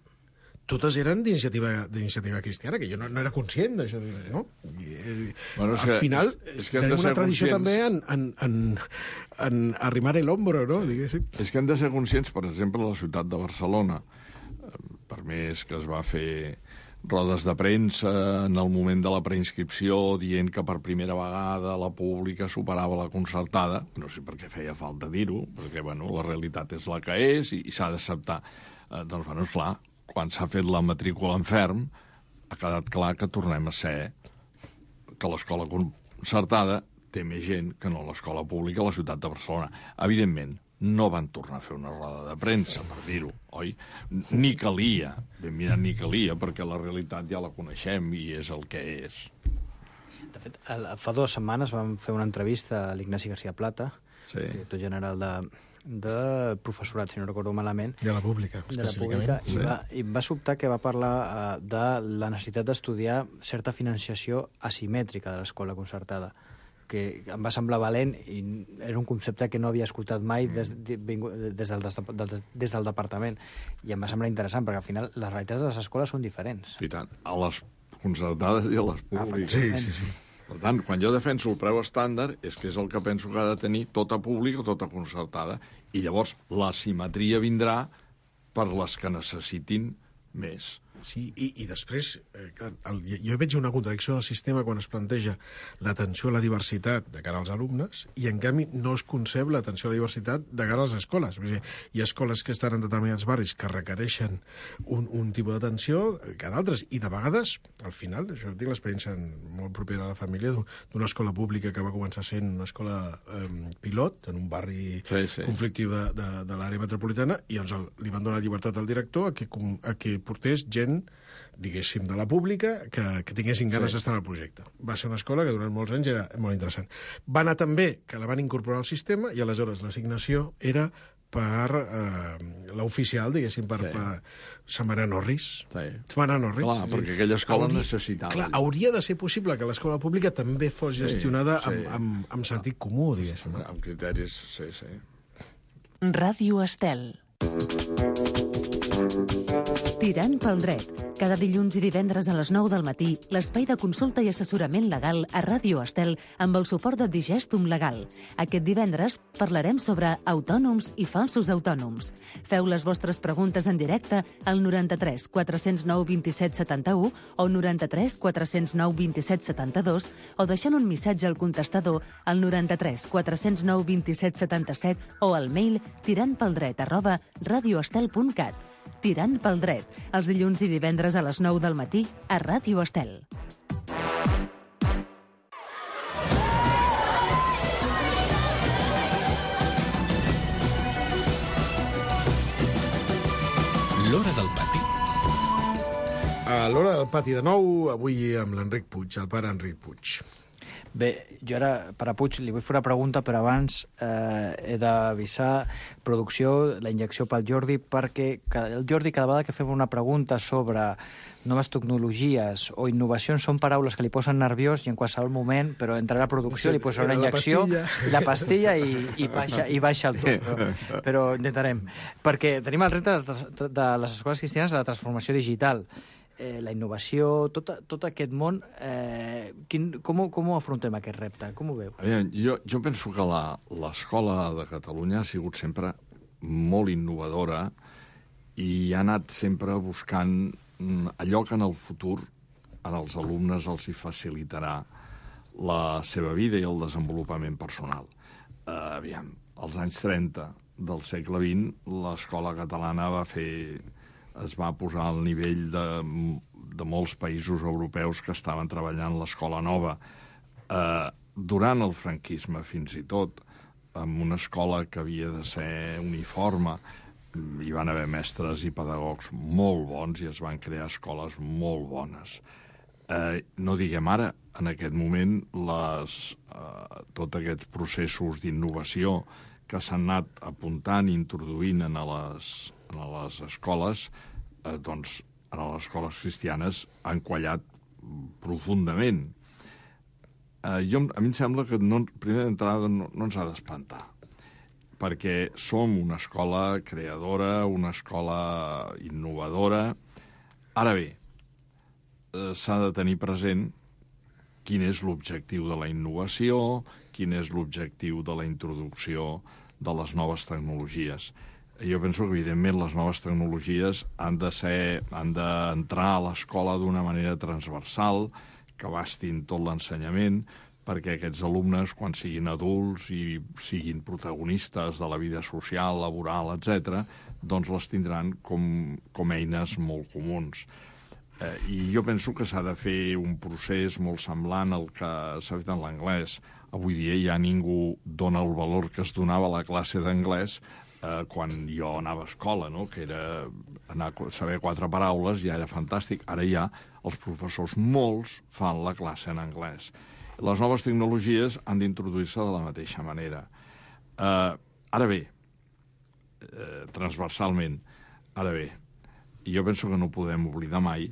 totes eren d'iniciativa d'iniciativa cristiana, que jo no, no era conscient d'això, no? I, eh, bueno, al que, final és, és que tenim una tradició conscients... també en, en, en, en arrimar el hombro, no? Diguéssim. És que hem de ser conscients, per exemple, a la ciutat de Barcelona, per més que es va fer rodes de premsa en el moment de la preinscripció dient que per primera vegada la pública superava la concertada, no sé per què feia falta dir-ho, perquè bueno, la realitat és la que és i, i s'ha d'acceptar. Eh, doncs, bueno, esclar, quan s'ha fet la matrícula en ferm, ha quedat clar que tornem a ser que l'escola concertada té més gent que no l'escola pública a la ciutat de Barcelona. Evidentment, no van tornar a fer una roda de premsa, per dir-ho, oi? Ni calia, ben mirat ni calia, perquè la realitat ja la coneixem i és el que és. De fet, fa dues setmanes vam fer una entrevista a l'Ignasi García Plata, sí. director general de... de professorat, si no recordo malament. De la pública, específicament. De la pública, sí. i, va, i va sobtar que va parlar uh, de la necessitat d'estudiar certa financiació asimètrica de l'escola concertada, que em va semblar valent i era un concepte que no havia escoltat mai des, des, des, del, des, des del departament. I em va semblar interessant, perquè al final les realitats de les escoles són diferents. I tant, a les concertades i a les públiques. Sí, sí, sí. Per tant, quan jo defenso el preu estàndard, és que és el que penso que ha de tenir tota pública o tota concertada. I llavors la simetria vindrà per les que necessitin més. Sí, i, i després, eh, el, jo veig una contradicció del sistema quan es planteja l'atenció a la diversitat de cara als alumnes i, en canvi, no es concep l'atenció a la diversitat de cara a les escoles. Vull dir, hi ha escoles que estan en determinats barris que requereixen un, un tipus d'atenció que d'altres, i de vegades, al final, això tinc l'experiència molt propera a la família d'una escola pública que va començar sent una escola eh, pilot en un barri sí, sí. conflictiu de, de, de l'àrea metropolitana, i doncs el, li van donar llibertat al director a que, a que portés gent, diguéssim, de la pública, que, que tinguessin ganes sí. d'estar en el projecte. Va ser una escola que durant molts anys era molt interessant. Va anar també que la van incorporar al sistema i aleshores l'assignació era per eh, l'oficial, diguéssim, per, sí. per Samaria Norris. Sí. Samaria Norris. Clar, sí. perquè aquella escola hauria, necessitava. Clar, hauria de ser possible que l'escola pública també fos gestionada sí, sí. Amb, amb, amb sentit comú, diguéssim. Amb criteris, sí, sí. Ràdio Estel. Tirant pel dret. Cada dilluns i divendres a les nou del matí, l'espai de consulta i assessorament legal a Ràdio Estel amb el suport de Digestum Legal. Aquest divendres parlarem sobre autònoms i falsos autònoms. Feu les vostres preguntes en directe al noranta-tres quatre-cents nou vint-i-set setanta-u o noranta-tres quatre-cents nou vint-i-set setanta-dos o deixant un missatge al contestador al noranta-tres quatre-cents nou vint-i-set setanta-set o al mail tirantpeldret arroba radioestel punt cat. Tirant pel dret, els dilluns i divendres a les nou del matí a Ràdio Estel. L'Hora del Pati. A l'Hora del Pati de nou, avui amb l'Enric Puig, el pare Enric Puig. Bé, jo ara, per a Puig, li vull fer una pregunta, però abans eh, he d'avisar producció, la injecció pel Jordi, perquè el Jordi, cada vegada que fem una pregunta sobre noves tecnologies o innovacions, són paraules que li posen nerviós i en qualsevol moment, però entrarà a producció, li posarà una injecció, i la pastilla i, i, baixa, i baixa el to. Però, però intentarem. Perquè tenim el repte de, de les escoles cristianes de la transformació digital. Eh, la innovació, tot, tot aquest món, eh, quin, com, com ho afrontem aquest repte? Com ho veu? Veure, jo, jo penso que l'escola de Catalunya ha sigut sempre molt innovadora i ha anat sempre buscant allò que en el futur als alumnes els hi facilitarà la seva vida i el desenvolupament personal. Uh, aviam, als anys trenta del segle vint, l'escola catalana va fer, es va posar al nivell de, de molts països europeus que estaven treballant l'escola nova. Uh, durant el franquisme, fins i tot, amb una escola que havia de ser uniforme, hi van haver mestres i pedagogs molt bons i es van crear escoles molt bones. Eh, no diguem ara, en aquest moment, les, eh, tots aquests processos d'innovació que s'han anat apuntant i introduint en les, en les escoles, eh, doncs, en les escoles cristianes han quallat profundament. Eh, jo, a mi em sembla que no, primer d'entrada no, no ens ha d'espantar, perquè som una escola creadora, una escola innovadora. Ara bé, eh, s'ha de tenir present quin és l'objectiu de la innovació, quin és l'objectiu de la introducció de les noves tecnologies. Jo penso que, evidentment, les noves tecnologies han de ser, han d'entrar a l'escola d'una manera transversal, que abastin tot l'ensenyament, perquè aquests alumnes, quan siguin adults i siguin protagonistes de la vida social, laboral, etcètera, doncs les tindran com, com eines molt comuns. Eh, I jo penso que s'ha de fer un procés molt semblant al que s'ha fet en l'anglès. Avui dia ja ningú dona el valor que es donava a la classe d'anglès eh, quan jo anava a escola, no? Que era anar a saber quatre paraules, ja era fantàstic. Ara ja els professors, molts, fan la classe en anglès. Les noves tecnologies han d'introduir-se de la mateixa manera. Uh, ara bé, uh, transversalment, ara bé, jo penso que no podem oblidar mai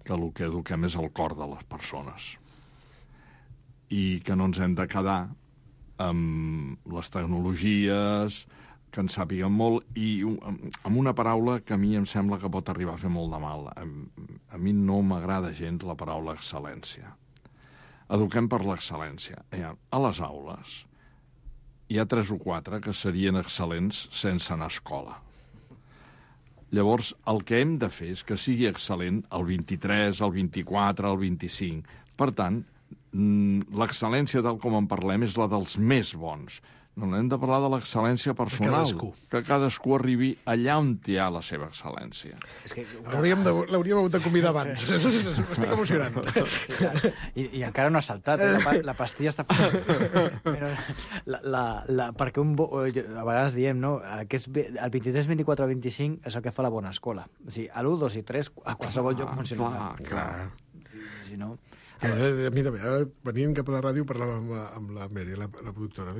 que el que eduquem és el cor de les persones i que no ens hem de quedar amb les tecnologies, que en sàpiguen molt, i amb una paraula que a mi em sembla que pot arribar a fer molt de mal. A, a mi no m'agrada gens la paraula excel·lència. Eduquem per l'excel·lència. A les aules hi ha tres o quatre que serien excel·lents sense anar a escola. Llavors, el que hem de fer és que sigui excel·lent el vint-i-tres, el vint-i-quatre, el vint-i-cinc. Per tant, l'excel·lència, tal com en parlem, és la dels més bons. No hem de parlar de l'excel·lència personal, cadascú. Que cadascú arribi allà on hi ha la seva excel·lència. És que l'hauríem de, l'hauríem de convidar abans. M'estic emocionant. I, I encara no ha saltat, eh? la, la pastilla està fora. Però la, la, la, perquè un bo, a vegades diem, no? Aquest, el vint-i-tres, vint-i-quatre, vint-i-cinc és el que fa la bona escola. O sigui, a l'u, dos i tres, a qualsevol lloc funciona. Clar, clar. Si no... A, a mi també, ara venint cap a la ràdio parlàvem amb, amb la Mary, la, la productora,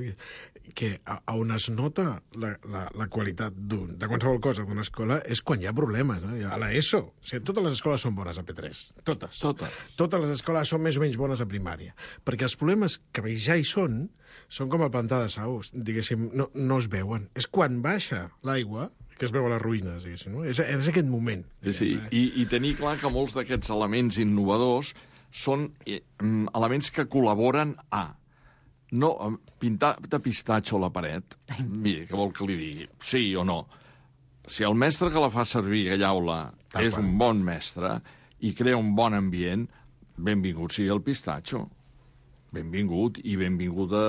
que a, a on es nota la, la, la qualitat de qualsevol cosa d'una escola és quan hi ha problemes. No? A l'ESO, o sigui, totes les escoles són bones a P tres, totes. Totes. Totes les escoles són més o menys bones a primària, perquè els problemes que ja hi són són com el pantà de Sau, diguéssim, no, no es veuen. És quan baixa l'aigua que es veuen les ruïnes, diguéssim, no? És, és aquest moment. Sí, sí. I, i tenir clar que molts d'aquests elements innovadors són elements que col·laboren a no pintar de pistatxo a la paret. Mira, què vol que li digui? Sí o no? Si el mestre que la fa servir aquella aula és un bon mestre i crea un bon ambient, benvingut sigui el pistatxo. Benvingut, i benvingut a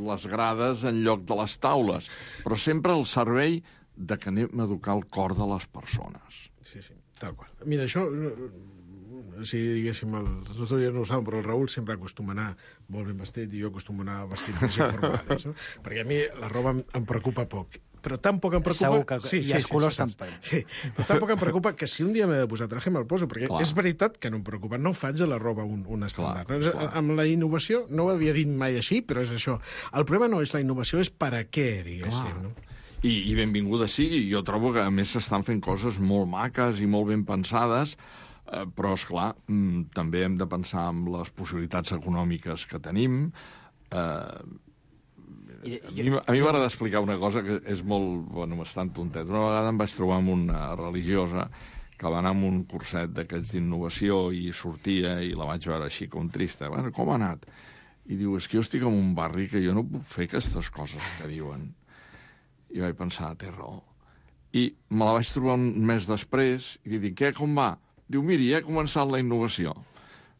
les grades en lloc de les taules. Però sempre al servei de que anem a educar el cor de les persones. Sí, sí, tal qual. Mira, això... Si diguéssim, el, els nostres no ho saben, però el Raül sempre acostuma a anar molt ben vestit i jo acostumo a anar vestit més informal, no? Perquè a mi la roba em, em preocupa poc. Però tan poc em preocupa... Segur que sí, i sí, els sí, colors sí, tampoc. Sí, però tan poc em preocupa que si un dia m'he de posar traje me'l poso, perquè clar. És veritat que no em preocupa. No faig de la roba un, un estàndard. Clar, no? Clar. Amb la innovació, no ho havia dit mai així, però és això. El problema no és la innovació, és per a què, diguéssim. No? I, I benvinguda sigui. Jo trobo que, a més, s'estan fent coses molt maques i molt ben pensades, eh, però, esclar, mm, també hem de pensar en les possibilitats econòmiques que tenim. Eh, I, a mi, a mi m'agrada explicar una cosa que és molt... Bueno, bastant tontet. Una vegada em vaig trobar amb una religiosa que va anar amb un curset d'aquests d'innovació i sortia i la vaig veure així com trista. Bueno, com ha anat? I diu, és que jo estic en un barri que jo no puc fer aquestes coses que diuen. I vaig pensar, té raó. I me la vaig trobar un mes després i li dic, què, com va? Diu, miri, ja he començat la innovació.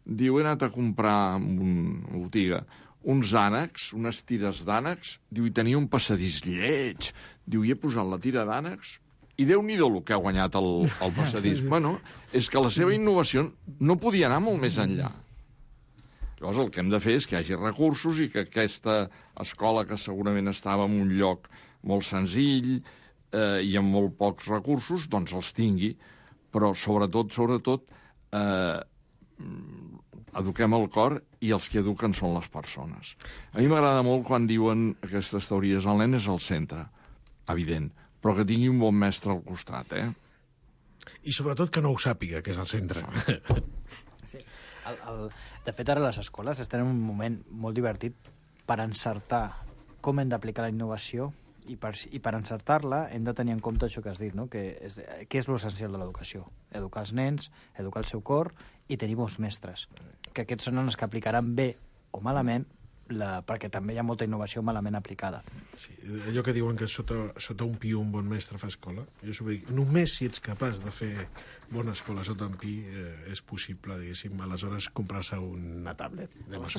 Diu, he anat a comprar en una botiga uns ànecs, unes tires d'ànecs. Diu, i tenia un passadís lleig. Diu, i he posat la tira d'ànecs i Déu-n'hi-do el que ha guanyat el, el passadís. Bueno, és que la seva innovació no podia anar molt més enllà. Llavors el que hem de fer és que hi hagi recursos i que aquesta escola, que segurament estava en un lloc molt senzill eh, i amb molt pocs recursos, doncs els tingui. Però sobretot, sobretot, eh, eduquem el cor i els que eduquen són les persones. A mi m'agrada molt quan diuen aquestes teories, el nen és el centre, evident, però que tingui un bon mestre al costat, eh? I sobretot que no ho sàpiga, que és el centre. Sí. El, el, de fet, ara les escoles estan en un moment molt divertit per encertar com hem d'aplicar la innovació i per, i per encertar-la hem de tenir en compte això que has dit, no? Que és, què és l'essencial de l'educació? Educar els nens, educar el seu cor i tenir bons mestres. Que aquests són els que aplicaran bé o malament, la, perquè també hi ha molta innovació malament aplicada. Sí, allò que diuen que sota, sota un pi un bon mestre fa escola, jo s'ho dic, només si ets capaç de fer bona escola sota un pi eh, és possible, diguéssim, aleshores comprar-se una tablet.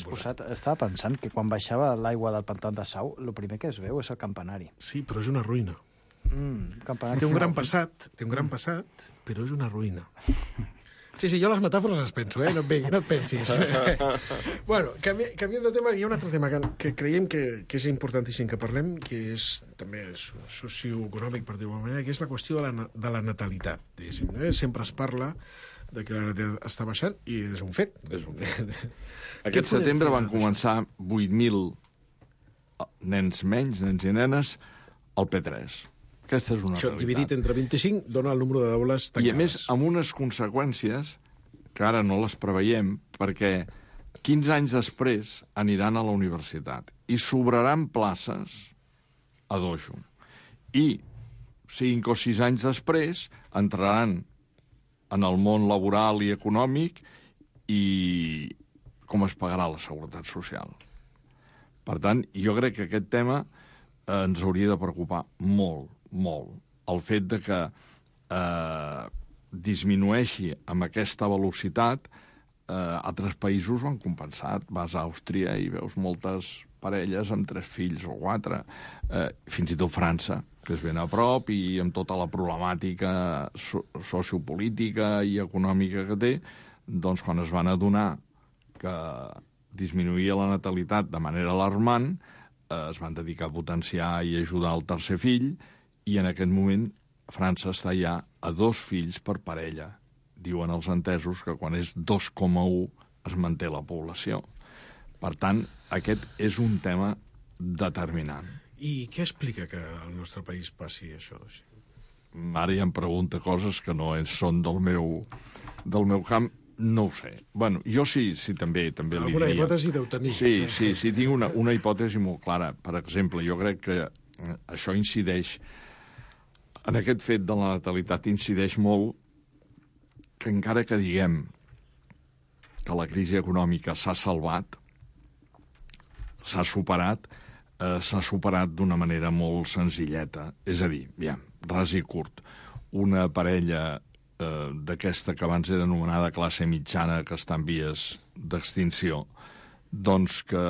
Posat, estava pensant que quan baixava l'aigua del pantà de Sau, el primer que es veu és el campanari. Sí, però és una ruïna. Mm, campanari. Té un gran passat, té un gran passat, però és una ruïna. Sí, sí, jo les metàfores les penso, eh? No et, vengui, no et pensis. Bueno, canvi, canviant de tema, hi ha un altre tema que, que creiem que, que és importantíssim que parlem, que és també socioeconòmic, per dir-ho manera, que és la qüestió de la, de la natalitat. Eh? Sempre es parla de que la natalitat està baixant i és un fet. És un fet. Aquest setembre van començar vuit mil nens menys, nens i nenes, al P tres. Aquesta és una Això, realitat. dividit entre vint-i-cinc, dona el número d'aules tancades. I, a més, amb unes conseqüències que ara no les preveiem, perquè quinze anys després aniran a la universitat i sobraran places a dojo. I cinc o sis anys després entraran en el món laboral i econòmic i com es pagarà la seguretat social. Per tant, jo crec que aquest tema eh, ens hauria de preocupar molt, molt. El fet de que eh, disminueixi amb aquesta velocitat, eh, altres països ho han compensat. Vas a Àustria i veus moltes parelles amb tres fills o quatre, eh, fins i tot França, que és ben a prop i amb tota la problemàtica so sociopolítica i econòmica que té, doncs quan es van adonar que disminuïa la natalitat de manera alarmant, eh, es van dedicar a potenciar i ajudar el tercer fill, i en aquest moment França està ja a dos fills per parella. Diuen els entesos que quan és dos coma u es manté la població. Per tant, aquest és un tema determinant. I què explica que al nostre país passi això? Ara ja em pregunta coses que no són del meu, del meu camp. No ho sé. Bueno, jo sí, sí també, també li diria... Alguna hipòtesi deu tenir. Sí, sí, sí, tinc una, una hipòtesi molt clara. Per exemple, jo crec que això incideix, en aquest fet de la natalitat incideix molt que encara que diguem que la crisi econòmica s'ha salvat, s'ha superat, eh, s'ha superat d'una manera molt senzilleta. És a dir, ja, ras i curt, una parella eh, d'aquesta que abans era anomenada classe mitjana, que està en vies d'extinció, doncs que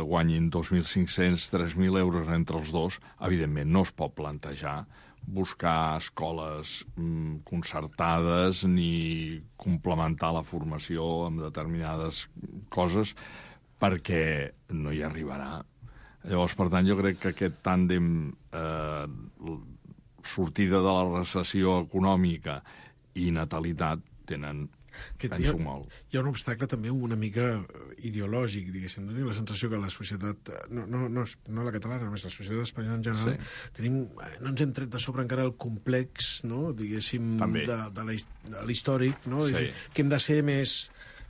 guanyin dos mil cinc-cents, tres mil euros entre els dos, evidentment no es pot plantejar buscar escoles mm, concertades ni complementar la formació amb determinades coses perquè no hi arribarà. Llavors, per tant, jo crec que aquest tàndem eh, sortida de la recessió econòmica i natalitat tenen... Que hi, ha, hi ha un obstacle també una mica ideològic, diguéssim. No? La sensació que la societat, no, no, no, no la catalana, només la societat espanyola en general, sí. tenim, no ens hem tret de sobre encara el complex, no? diguéssim, també. de, de l'històric, no? Sí. Que hem de ser més,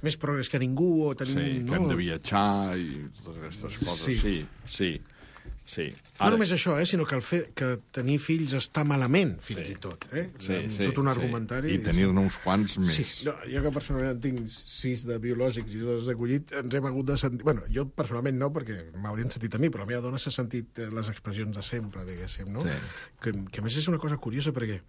més progrés que ningú, o tenim... Sí, no? que hem de viatjar i totes aquestes coses. Sí, sí. sí. Sí. Ara... No només això, eh, sinó que el fet que tenir fills està malament, fins sí. i tot. Eh? Sí, sí, tot un sí. argumentari. I tenir-ne uns quants més. Sí. No, jo que personalment tinc sis de biològics i dos d'acollit, ens hem hagut de sentir... Bueno, jo personalment no, perquè m'haurien sentit a mi, però la meva dona s'ha sentit les expressions de sempre, diguéssim, no? Sí. Que, que a més és una cosa curiosa, perquè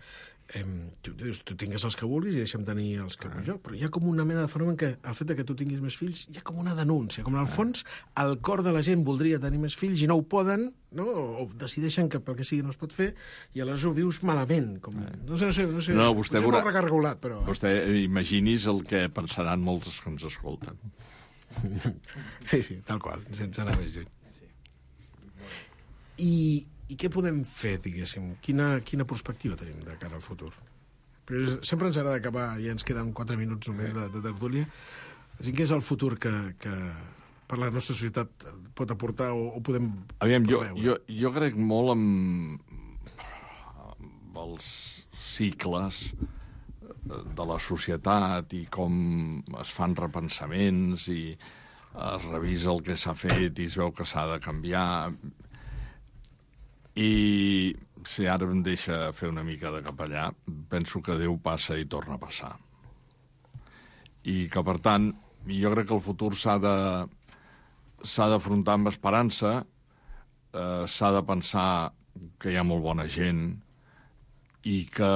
eh, tu dius, tu tingues els que vulguis i deixa'm tenir els que vull jo, però hi ha com una mena de fenomen que el fet de que tu tinguis més fills, hi ha com una denúncia, com en el fons el cor de la gent voldria tenir més fills i no ho poden, no? O decideixen que pel que sigui no es pot fer i aleshores ho vius malament. Com... No sé, no sé, no sé. No, vostè Potser veurà... no recargolat, però... Vostè imagini's el que pensaran molts que ens escolten. Sí, sí, tal qual, sense anar més lluny. I, i què podem fer, diguéssim? Quina, quina perspectiva tenim de cara al futur? Però sempre ens agrada acabar, ja ens queden quatre minuts només de, de tertúlia. Què és el futur que, que per la nostra societat pot aportar o, o podem Aviam, jo, preveure? jo, jo crec molt amb, amb els cicles de la societat i com es fan repensaments i es revisa el que s'ha fet i es veu que s'ha de canviar. I si ara em deixa fer una mica de capellà, penso que Déu passa i torna a passar. I que, per tant, jo crec que el futur s'ha de s'ha d'afrontar amb esperança, eh, s'ha de pensar que hi ha molt bona gent i que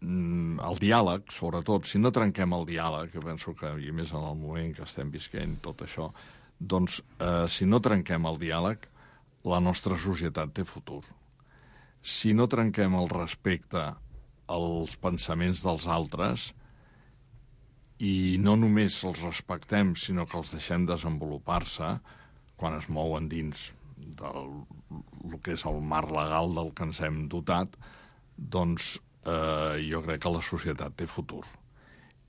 mm, el diàleg, sobretot, si no trenquem el diàleg, que penso que, i més en el moment que estem visquent tot això, doncs, eh, si no trenquem el diàleg, la nostra societat té futur. Si no trenquem el respecte als pensaments dels altres i no només els respectem, sinó que els deixem desenvolupar-se quan es mouen dins del el que és el marc legal del que ens hem dotat, doncs eh, jo crec que la societat té futur.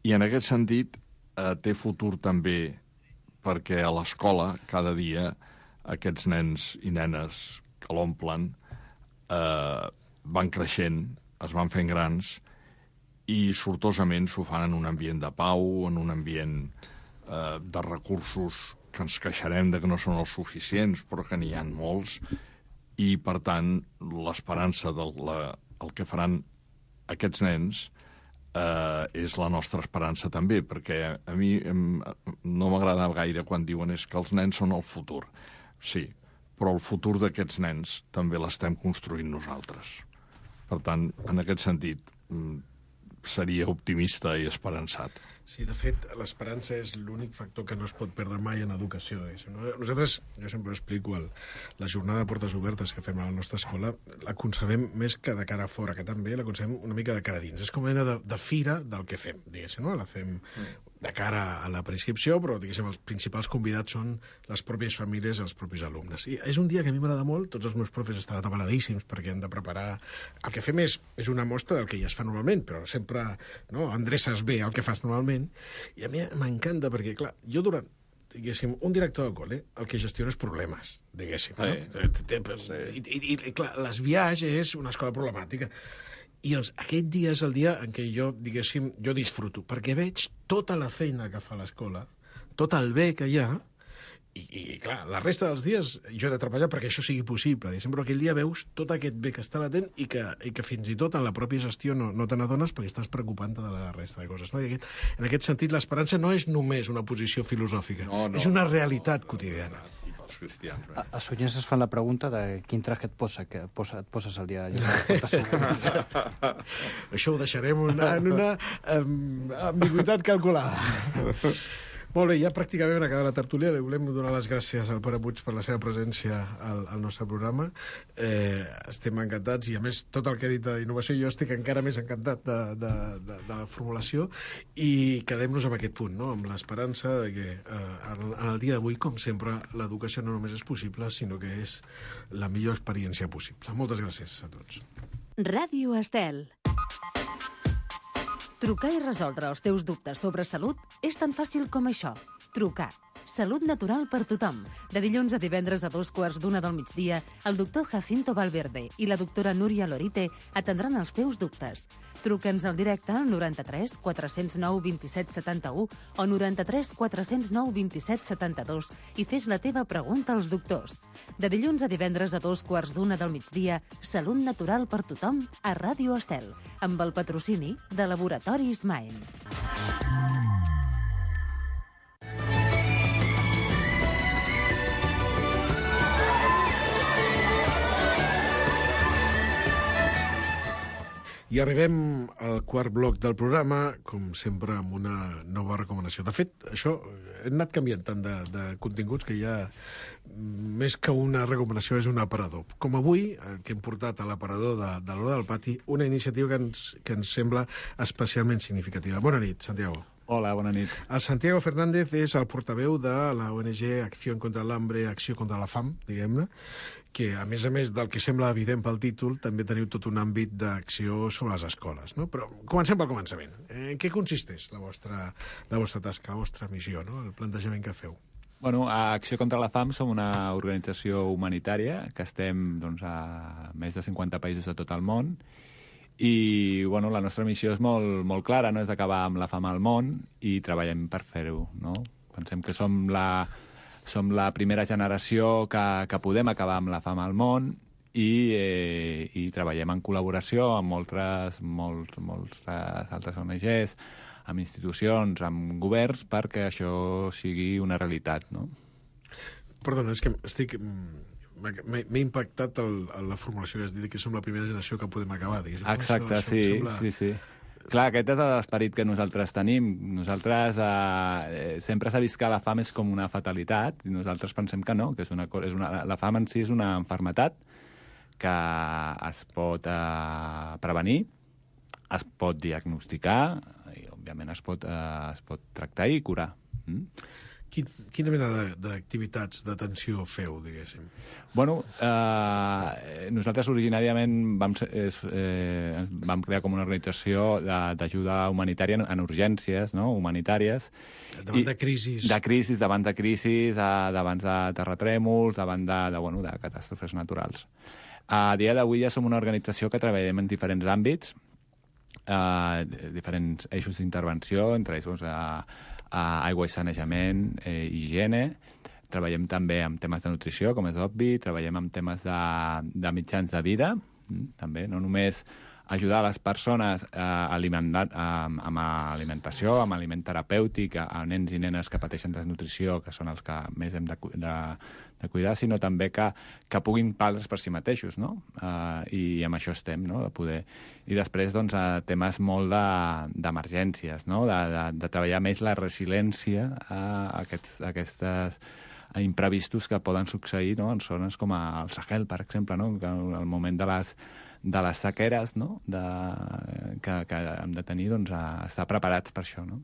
I en aquest sentit eh, té futur també perquè a l'escola cada dia aquests nens i nenes que l'omplen eh, van creixent, es van fent grans i sortosament s'ho fan en un ambient de pau, en un ambient eh, de recursos que ens queixarem de que no són els suficients, però que n'hi ha molts, i per tant l'esperança del la, el que faran aquests nens eh, és la nostra esperança també, perquè a mi em, no m'agrada gaire quan diuen és que els nens són el futur. Sí, però el futur d'aquests nens també l'estem construint nosaltres. Per tant, en aquest sentit, seria optimista i esperançat. Sí, de fet, l'esperança és l'únic factor que no es pot perdre mai en educació. Nosaltres, jo sempre explico, el, la jornada de portes obertes que fem a la nostra escola, la concebem més que de cara a fora, que també la concebem una mica de cara a dins. És com una mena de, de fira del que fem, diguéssim, no? La fem de cara a la prescripció, però, diguéssim, els principals convidats són les pròpies famílies i els propis alumnes. I és un dia que a mi m'agrada molt, tots els meus profes estan atabaladíssims perquè han de preparar... El que fem és, és una mostra del que ja es fa normalment, però sempre no, endreces bé el que fas normalment. I a mi m'encanta perquè, clar, jo durant, diguéssim, un director de col·le, el que gestiona és problemes, diguéssim. Sí. No? Sí. I, i, I, clar, l'Esbiaix és una escola problemàtica. I doncs, aquest dia és el dia en què jo, diguéssim, jo disfruto, perquè veig tota la feina que fa l'escola, tot el bé que hi ha, i, i clar, la resta dels dies jo he de treballar perquè això sigui possible, diguéssim, però aquell dia veus tot aquest bé que està latent i que, i que fins i tot en la pròpia gestió no, no te n'adones perquè estàs preocupant-te de la resta de coses. No? I aquest, en aquest sentit, l'esperança no és només una posició filosòfica, no, no, és una realitat quotidiana. Els cristians. A, a Sonyens es fan la pregunta de quin traje et posa, que et, posa, et poses el dia. Això ho deixarem una, en una um, ambigüitat calculada. Molt bé, ja pràcticament hem acabat la tertúlia. Li volem donar les gràcies al Pere Puig per la seva presència al, al nostre programa. Eh, estem encantats i, a més, tot el que ha dit d'innovació, jo estic encara més encantat de, de, de, de la formulació i quedem-nos amb aquest punt, no? Amb l'esperança de que eh, en el dia d'avui, com sempre, l'educació no només és possible, sinó que és la millor experiència possible. Moltes gràcies a tots. Ràdio Estel. Trucar i resoldre els teus dubtes sobre salut és tan fàcil com això. Trucar. Salut natural per tothom. De dilluns a divendres a dos quarts d'una del migdia, el doctor Jacinto Valverde i la doctora Núria Lorite atendran els teus dubtes. Truca'ns al directe al noranta-tres quatre zero nou dos set set u o noranta-tres quatre zero nou dos set set dos i fes la teva pregunta als doctors. De dilluns a divendres a dos quarts d'una del migdia, Salut natural per tothom a Ràdio Estel, amb el patrocini de Laboratoris Maen. I arribem al quart bloc del programa, com sempre, amb una nova recomanació. De fet, això hem anat canviant tant de, de continguts que ja més que una recomanació és un aparador. Com avui, que hem portat a l'aparador de, de l'Hora del Pati, una iniciativa que ens, que ens sembla especialment significativa. Bona nit, Santiago. Hola, bona nit. El Santiago Fernández és el portaveu de la O N G Acció contra l'Hambre, Acció contra la Fam, diguem-ne, que, a més a més del que sembla evident pel títol, també teniu tot un àmbit d'acció sobre les escoles, no? Però comencem pel començament. En què consisteix la vostra, la vostra tasca, la vostra missió, no? El plantejament que feu? Bueno, a Acció contra la Fam som una organització humanitària que estem doncs, a més de cinquanta països de tot el món i bueno, la nostra missió és molt, molt clara, no? És d'acabar amb la fam al món i treballem per fer-ho, no? Pensem que som la, som la primera generació que, que podem acabar amb la fam al món i, eh, i treballem en col·laboració amb moltes, molts, molts altres O N Ges, amb institucions, amb governs, perquè això sigui una realitat, no? Perdona, és que estic... M'he impactat el, la formulació que has dit, que som la primera generació que podem acabar. Diguéssim. Exacte, això, sí, això sembla... sí, sí. Clar, aquest és l'esperit que nosaltres tenim. Nosaltres eh, sempre s'ha vist que la fam és com una fatalitat i nosaltres pensem que no, que és una, és una, la fam en si és una malaltia que es pot eh, prevenir, es pot diagnosticar i, òbviament, es pot, eh, es pot tractar i curar. Mm? Quin, quina mena d'activitats d'atenció feu, diguéssim? Bueno, eh, nosaltres originàriament vam, eh, vam crear com una organització d'ajuda humanitària en urgències, no?, humanitàries. Davant de crisis. De crisis, davant de crisis, davant de terratrèmols, davant de, de, bueno, de catàstrofes naturals. A dia d'avui ja som una organització que treballem en diferents àmbits, eh, diferents eixos d'intervenció, entre ells doncs, eh, Uh, aigua i sanejament, eh, higiene. Treballem també amb temes de nutrició, com és obvi, treballem amb temes de, de mitjans de vida, també, no només ajudar les persones a alimentar, a, amb alimentació, amb aliment terapèutic, a, a nens i nenes que pateixen desnutrició, que són els que més hem de, de, de cuidar, sinó també que, que puguin valdre's per si mateixos, no? Uh, I amb això estem, no?, de poder... I després, doncs, a temes molt d'emergències, no?, de, de, de treballar més la resiliència a aquests, a aquestes imprevistos que poden succeir, no?, en zones com el Sahel, per exemple, no?, que al moment de les de les sequeres, no?, de, que, que hem de tenir, doncs, a estar preparats per això, no?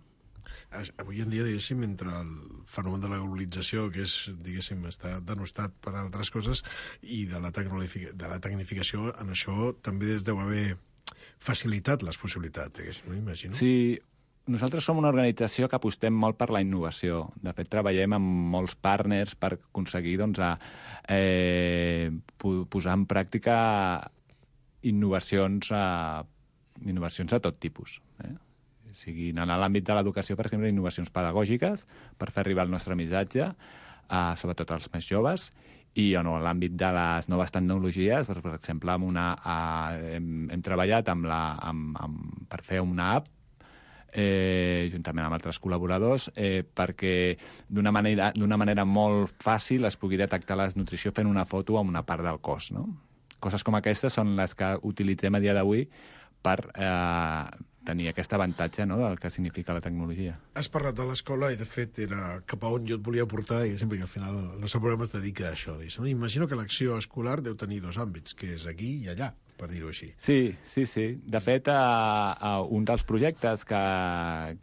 Avui en dia, diguéssim, entre el fenomen de la globalització, que és, diguéssim, està denostat per altres coses, i de la, de la tecnificació, en això també es deu haver facilitat les possibilitats, diguéssim, no? Imagino. Sí, nosaltres som una organització que apostem molt per la innovació. De fet, treballem amb molts partners per aconseguir, doncs, a, eh, posar en pràctica innovacions a, innovacions a tot tipus. Eh? O sigui, en l'àmbit de l'educació, per exemple, innovacions pedagògiques per fer arribar el nostre missatge, a, sobretot als més joves, i en l'àmbit de les noves tecnologies, doncs, per exemple, amb una, a, hem, hem treballat amb la, amb, amb, per fer una app eh, juntament amb altres col·laboradors, eh, perquè d'una manera, d'una manera molt fàcil es pugui detectar la desnutrició fent una foto amb una part del cos, no? Coses com aquestes són les que utilitzem a dia d'avui per eh, tenir aquest avantatge, no?, del que significa la tecnologia. Has parlat de l'escola i, de fet, era cap a on jo et volia portar, i sempre que al final el nostre programa es dedica a això. Diguéssim. Imagino que l'acció escolar deu tenir dos àmbits, que és aquí i allà, per dir-ho així. Sí, sí, sí. De fet, a, a un dels projectes que,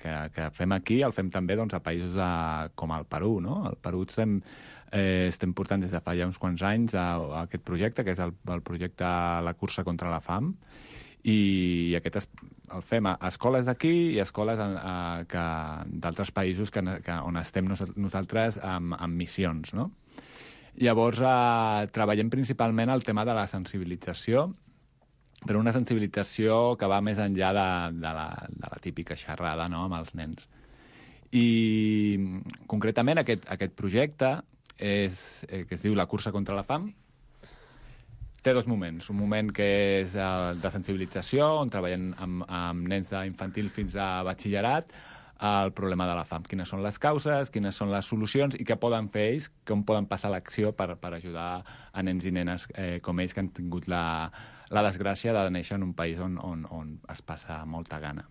que, que fem aquí el fem també, doncs, a països de, com el Perú, no? Al Perú estem... Eh, estem portant des de fa ja uns quants anys a, a aquest projecte, que és el, el projecte La cursa contra la fam, i aquest es, el fem a escoles d'aquí i escoles d'altres països que, que, on estem nosaltres amb, amb missions, no? Llavors, eh, treballem principalment el tema de la sensibilització, però una sensibilització que va més enllà de, de, la, de la típica xerrada, no?, amb els nens. I concretament aquest, aquest projecte és, eh, que es diu La cursa contra la fam, té dos moments. Un moment que és eh, de sensibilització, on treballem amb, amb nens d'infantil fins a batxillerat, el problema de la fam. Quines són les causes, quines són les solucions i què poden fer ells, com poden passar l'acció per, per ajudar a nens i nenes eh, com ells que han tingut la, la desgràcia de néixer en un país on, on, on es passa molta gana.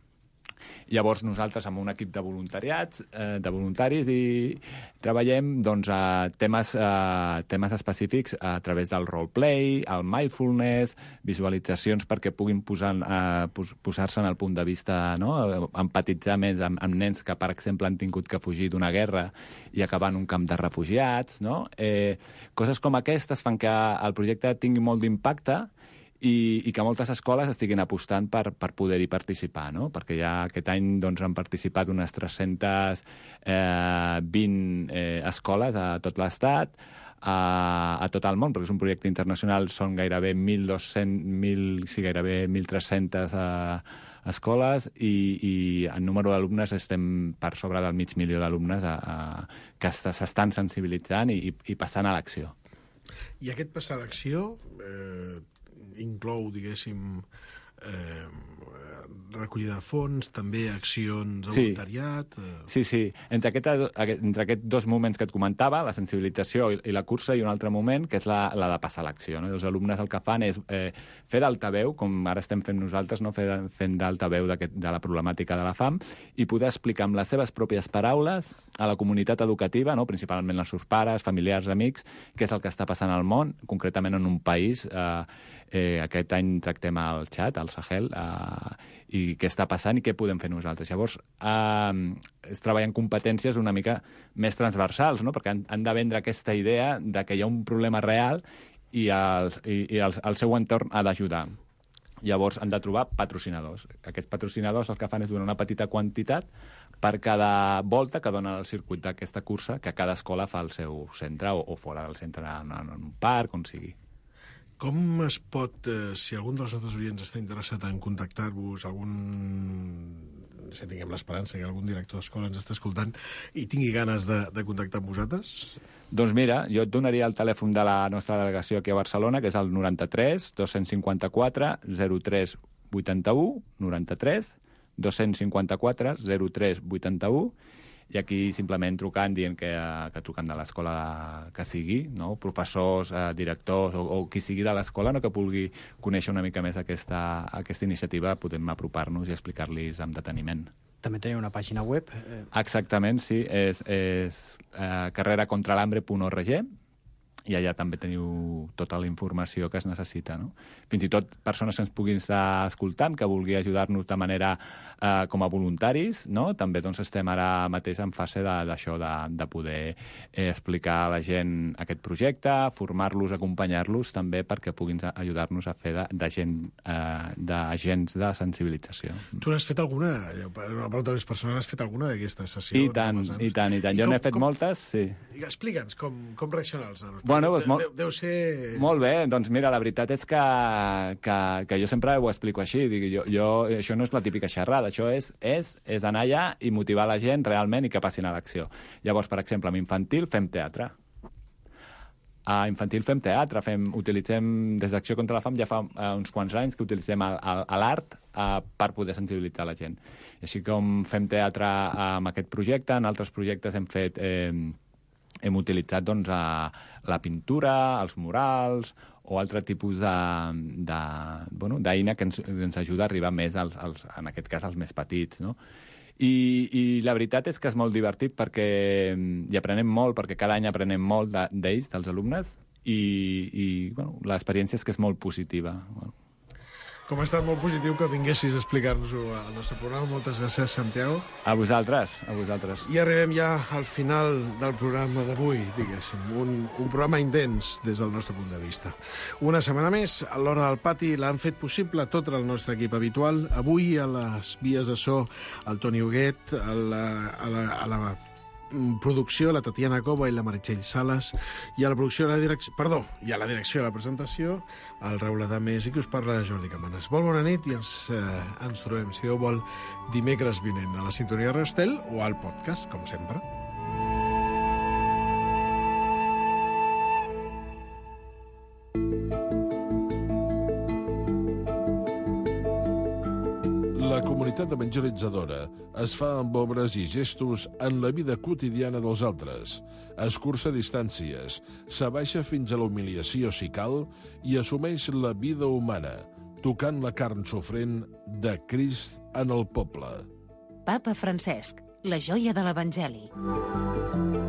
Llavors nosaltres amb un equip de voluntariats, eh, de voluntaris i treballem doncs, a temes, eh, temes específics a través del roleplay, el mindfulness, visualitzacions perquè puguin posar, eh, pos, posar-se en el punt de vista, no?, empatitzar més amb, amb nens que, per exemple, han tingut que fugir d'una guerra i acabar en un camp de refugiats, no? Eh, coses com aquestes fan que el projecte tingui molt d'impacte i, i que moltes escoles estiguin apostant per, per poder-hi participar, no? Perquè ja aquest any doncs, han participat unes tres-centes vint eh, escoles a tot l'estat, a, a tot el món, perquè és un projecte internacional, són gairebé mil dos-cents, sí, gairebé mil tres-centes eh, escoles i, i en número d'alumnes estem per sobre del mig milió d'alumnes a, a, que s'estan sensibilitzant i, i passant a l'acció. I aquest passar a l'acció eh, inclou, diguéssim, eh, recollida de fons, també accions de sí. voluntariat... Eh... Sí, sí. Entre, aquest, entre aquests dos moments que et comentava, la sensibilització i, i la cursa, i un altre moment, que és la, la de passar a l'acció. No? Els alumnes el que fan és eh, fer d'altaveu, com ara estem fent nosaltres, no? fer, fent d'altaveu de la problemàtica de la fam, i poder explicar amb les seves pròpies paraules a la comunitat educativa, no? Principalment als seus pares, familiars, amics, què és el que està passant al món, concretament en un país... Eh, Eh, aquest any tractem el Txad, el Sahel, eh, i què està passant i què podem fer nosaltres. Llavors, eh, es treballen competències una mica més transversals, no? Perquè han, han de vendre aquesta idea de que hi ha un problema real i, els, i, i el, el seu entorn ha d'ajudar. Llavors, han de trobar patrocinadors. Aquests patrocinadors el que fan és donar una petita quantitat per cada volta que dona el circuit d'aquesta cursa, que cada escola fa al seu centre o, o fora del centre, en, en un parc, on sigui. Com es pot, eh, si algun dels nostres oients està interessat en contactar-vos, algun, si tinguem l'esperança que algun director d'escola ens està escoltant i tingui ganes de, de contactar amb vosaltres? Doncs mira, jo et donaria el telèfon de la nostra delegació aquí a Barcelona, que és el noranta-tres dos-cents cinquanta-quatre zero tres vuitanta-u, noranta-tres dos-cents cinquanta-quatre zero tres vuitanta-u, i aquí simplement trucant, dient que, que truquen de l'escola que sigui, no? Professors, eh, directors o, o qui sigui de l'escola, no? Que vulgui conèixer una mica més aquesta, aquesta iniciativa, podem apropar-nos i explicar-los amb deteniment. També teniu una pàgina web? Exactament, sí, és, és eh, carrera contra l'hambre punt org, i allà també teniu tota la informació que es necessita, no? Fins i tot persones que ens puguin estar escoltant, que vulgui ajudar-nos de manera eh, com a voluntaris, no? També doncs, estem ara mateix en fase d'això, de, de, de poder eh, explicar a la gent aquest projecte, formar-los, acompanyar-los també perquè puguin ajudar-nos a fer d'agents eh, de sensibilització. Tu n'has fet alguna? Una pregunta més personal, has fet alguna d'aquestes sessions? I tant, i tant, i tant. I jo com, n'he fet com, moltes, sí. Explica'ns com, com reaccionen els nanos. Bueno, doncs, deu, molt, deu, deu ser... Molt bé, doncs mira, la veritat és que, que, que jo sempre ho explico així. Dic, jo, jo, això no és la típica xerrada, això és, és, és anar allà i motivar la gent realment i que passin a l'acció. Llavors, per exemple, amb infantil fem teatre. A infantil fem teatre, fem, utilitzem, des d'Acció contra la Fam ja fa uh, uns quants anys que utilitzem l'art uh, per poder sensibilitzar la gent. I així com fem teatre uh, amb aquest projecte, en altres projectes hem fet... Eh, hem utilitzat doncs, a la pintura, els murals o altre tipus de, de, bueno, d'eina que ens, ens ajuda a arribar més, als, als, en aquest cas, als més petits, no? I, I la veritat és que és molt divertit perquè hi aprenem molt, perquè cada any aprenem molt d'ells, de, dels alumnes, i, i bueno, l'experiència és que és molt positiva. Bueno. Com ha estat molt positiu que vinguessis a explicar-nos-ho al nostre programa. Moltes gràcies, Santiago. A vosaltres, a vosaltres. I arribem ja al final del programa d'avui, diguéssim. Un, un programa intens des del nostre punt de vista. Una setmana més, a l'Hora del Pati, l'han fet possible tot el nostre equip habitual. Avui, a les vies de so, el Toni Huguet, a la, a la, a la producció, la Tatiana Cova i la Meritxell Sales, i a la producció de la direcció, perdó, i a la direcció de la presentació, el Raül Adamés, i que us parla Jordi Cabanes. Molt bona nit i ens, eh, ens trobem, si Déu vol, dimecres vinent a la sintonia de Radio Estel o al podcast, com sempre. La comunitat evangelitzadora es fa amb obres i gestos en la vida quotidiana dels altres, escurça distàncies, s'abaixa fins a la humiliació si cal i assumeix la vida humana, tocant la carn sofrent de Crist en el poble. Papa Francesc, la joia de l'Evangeli.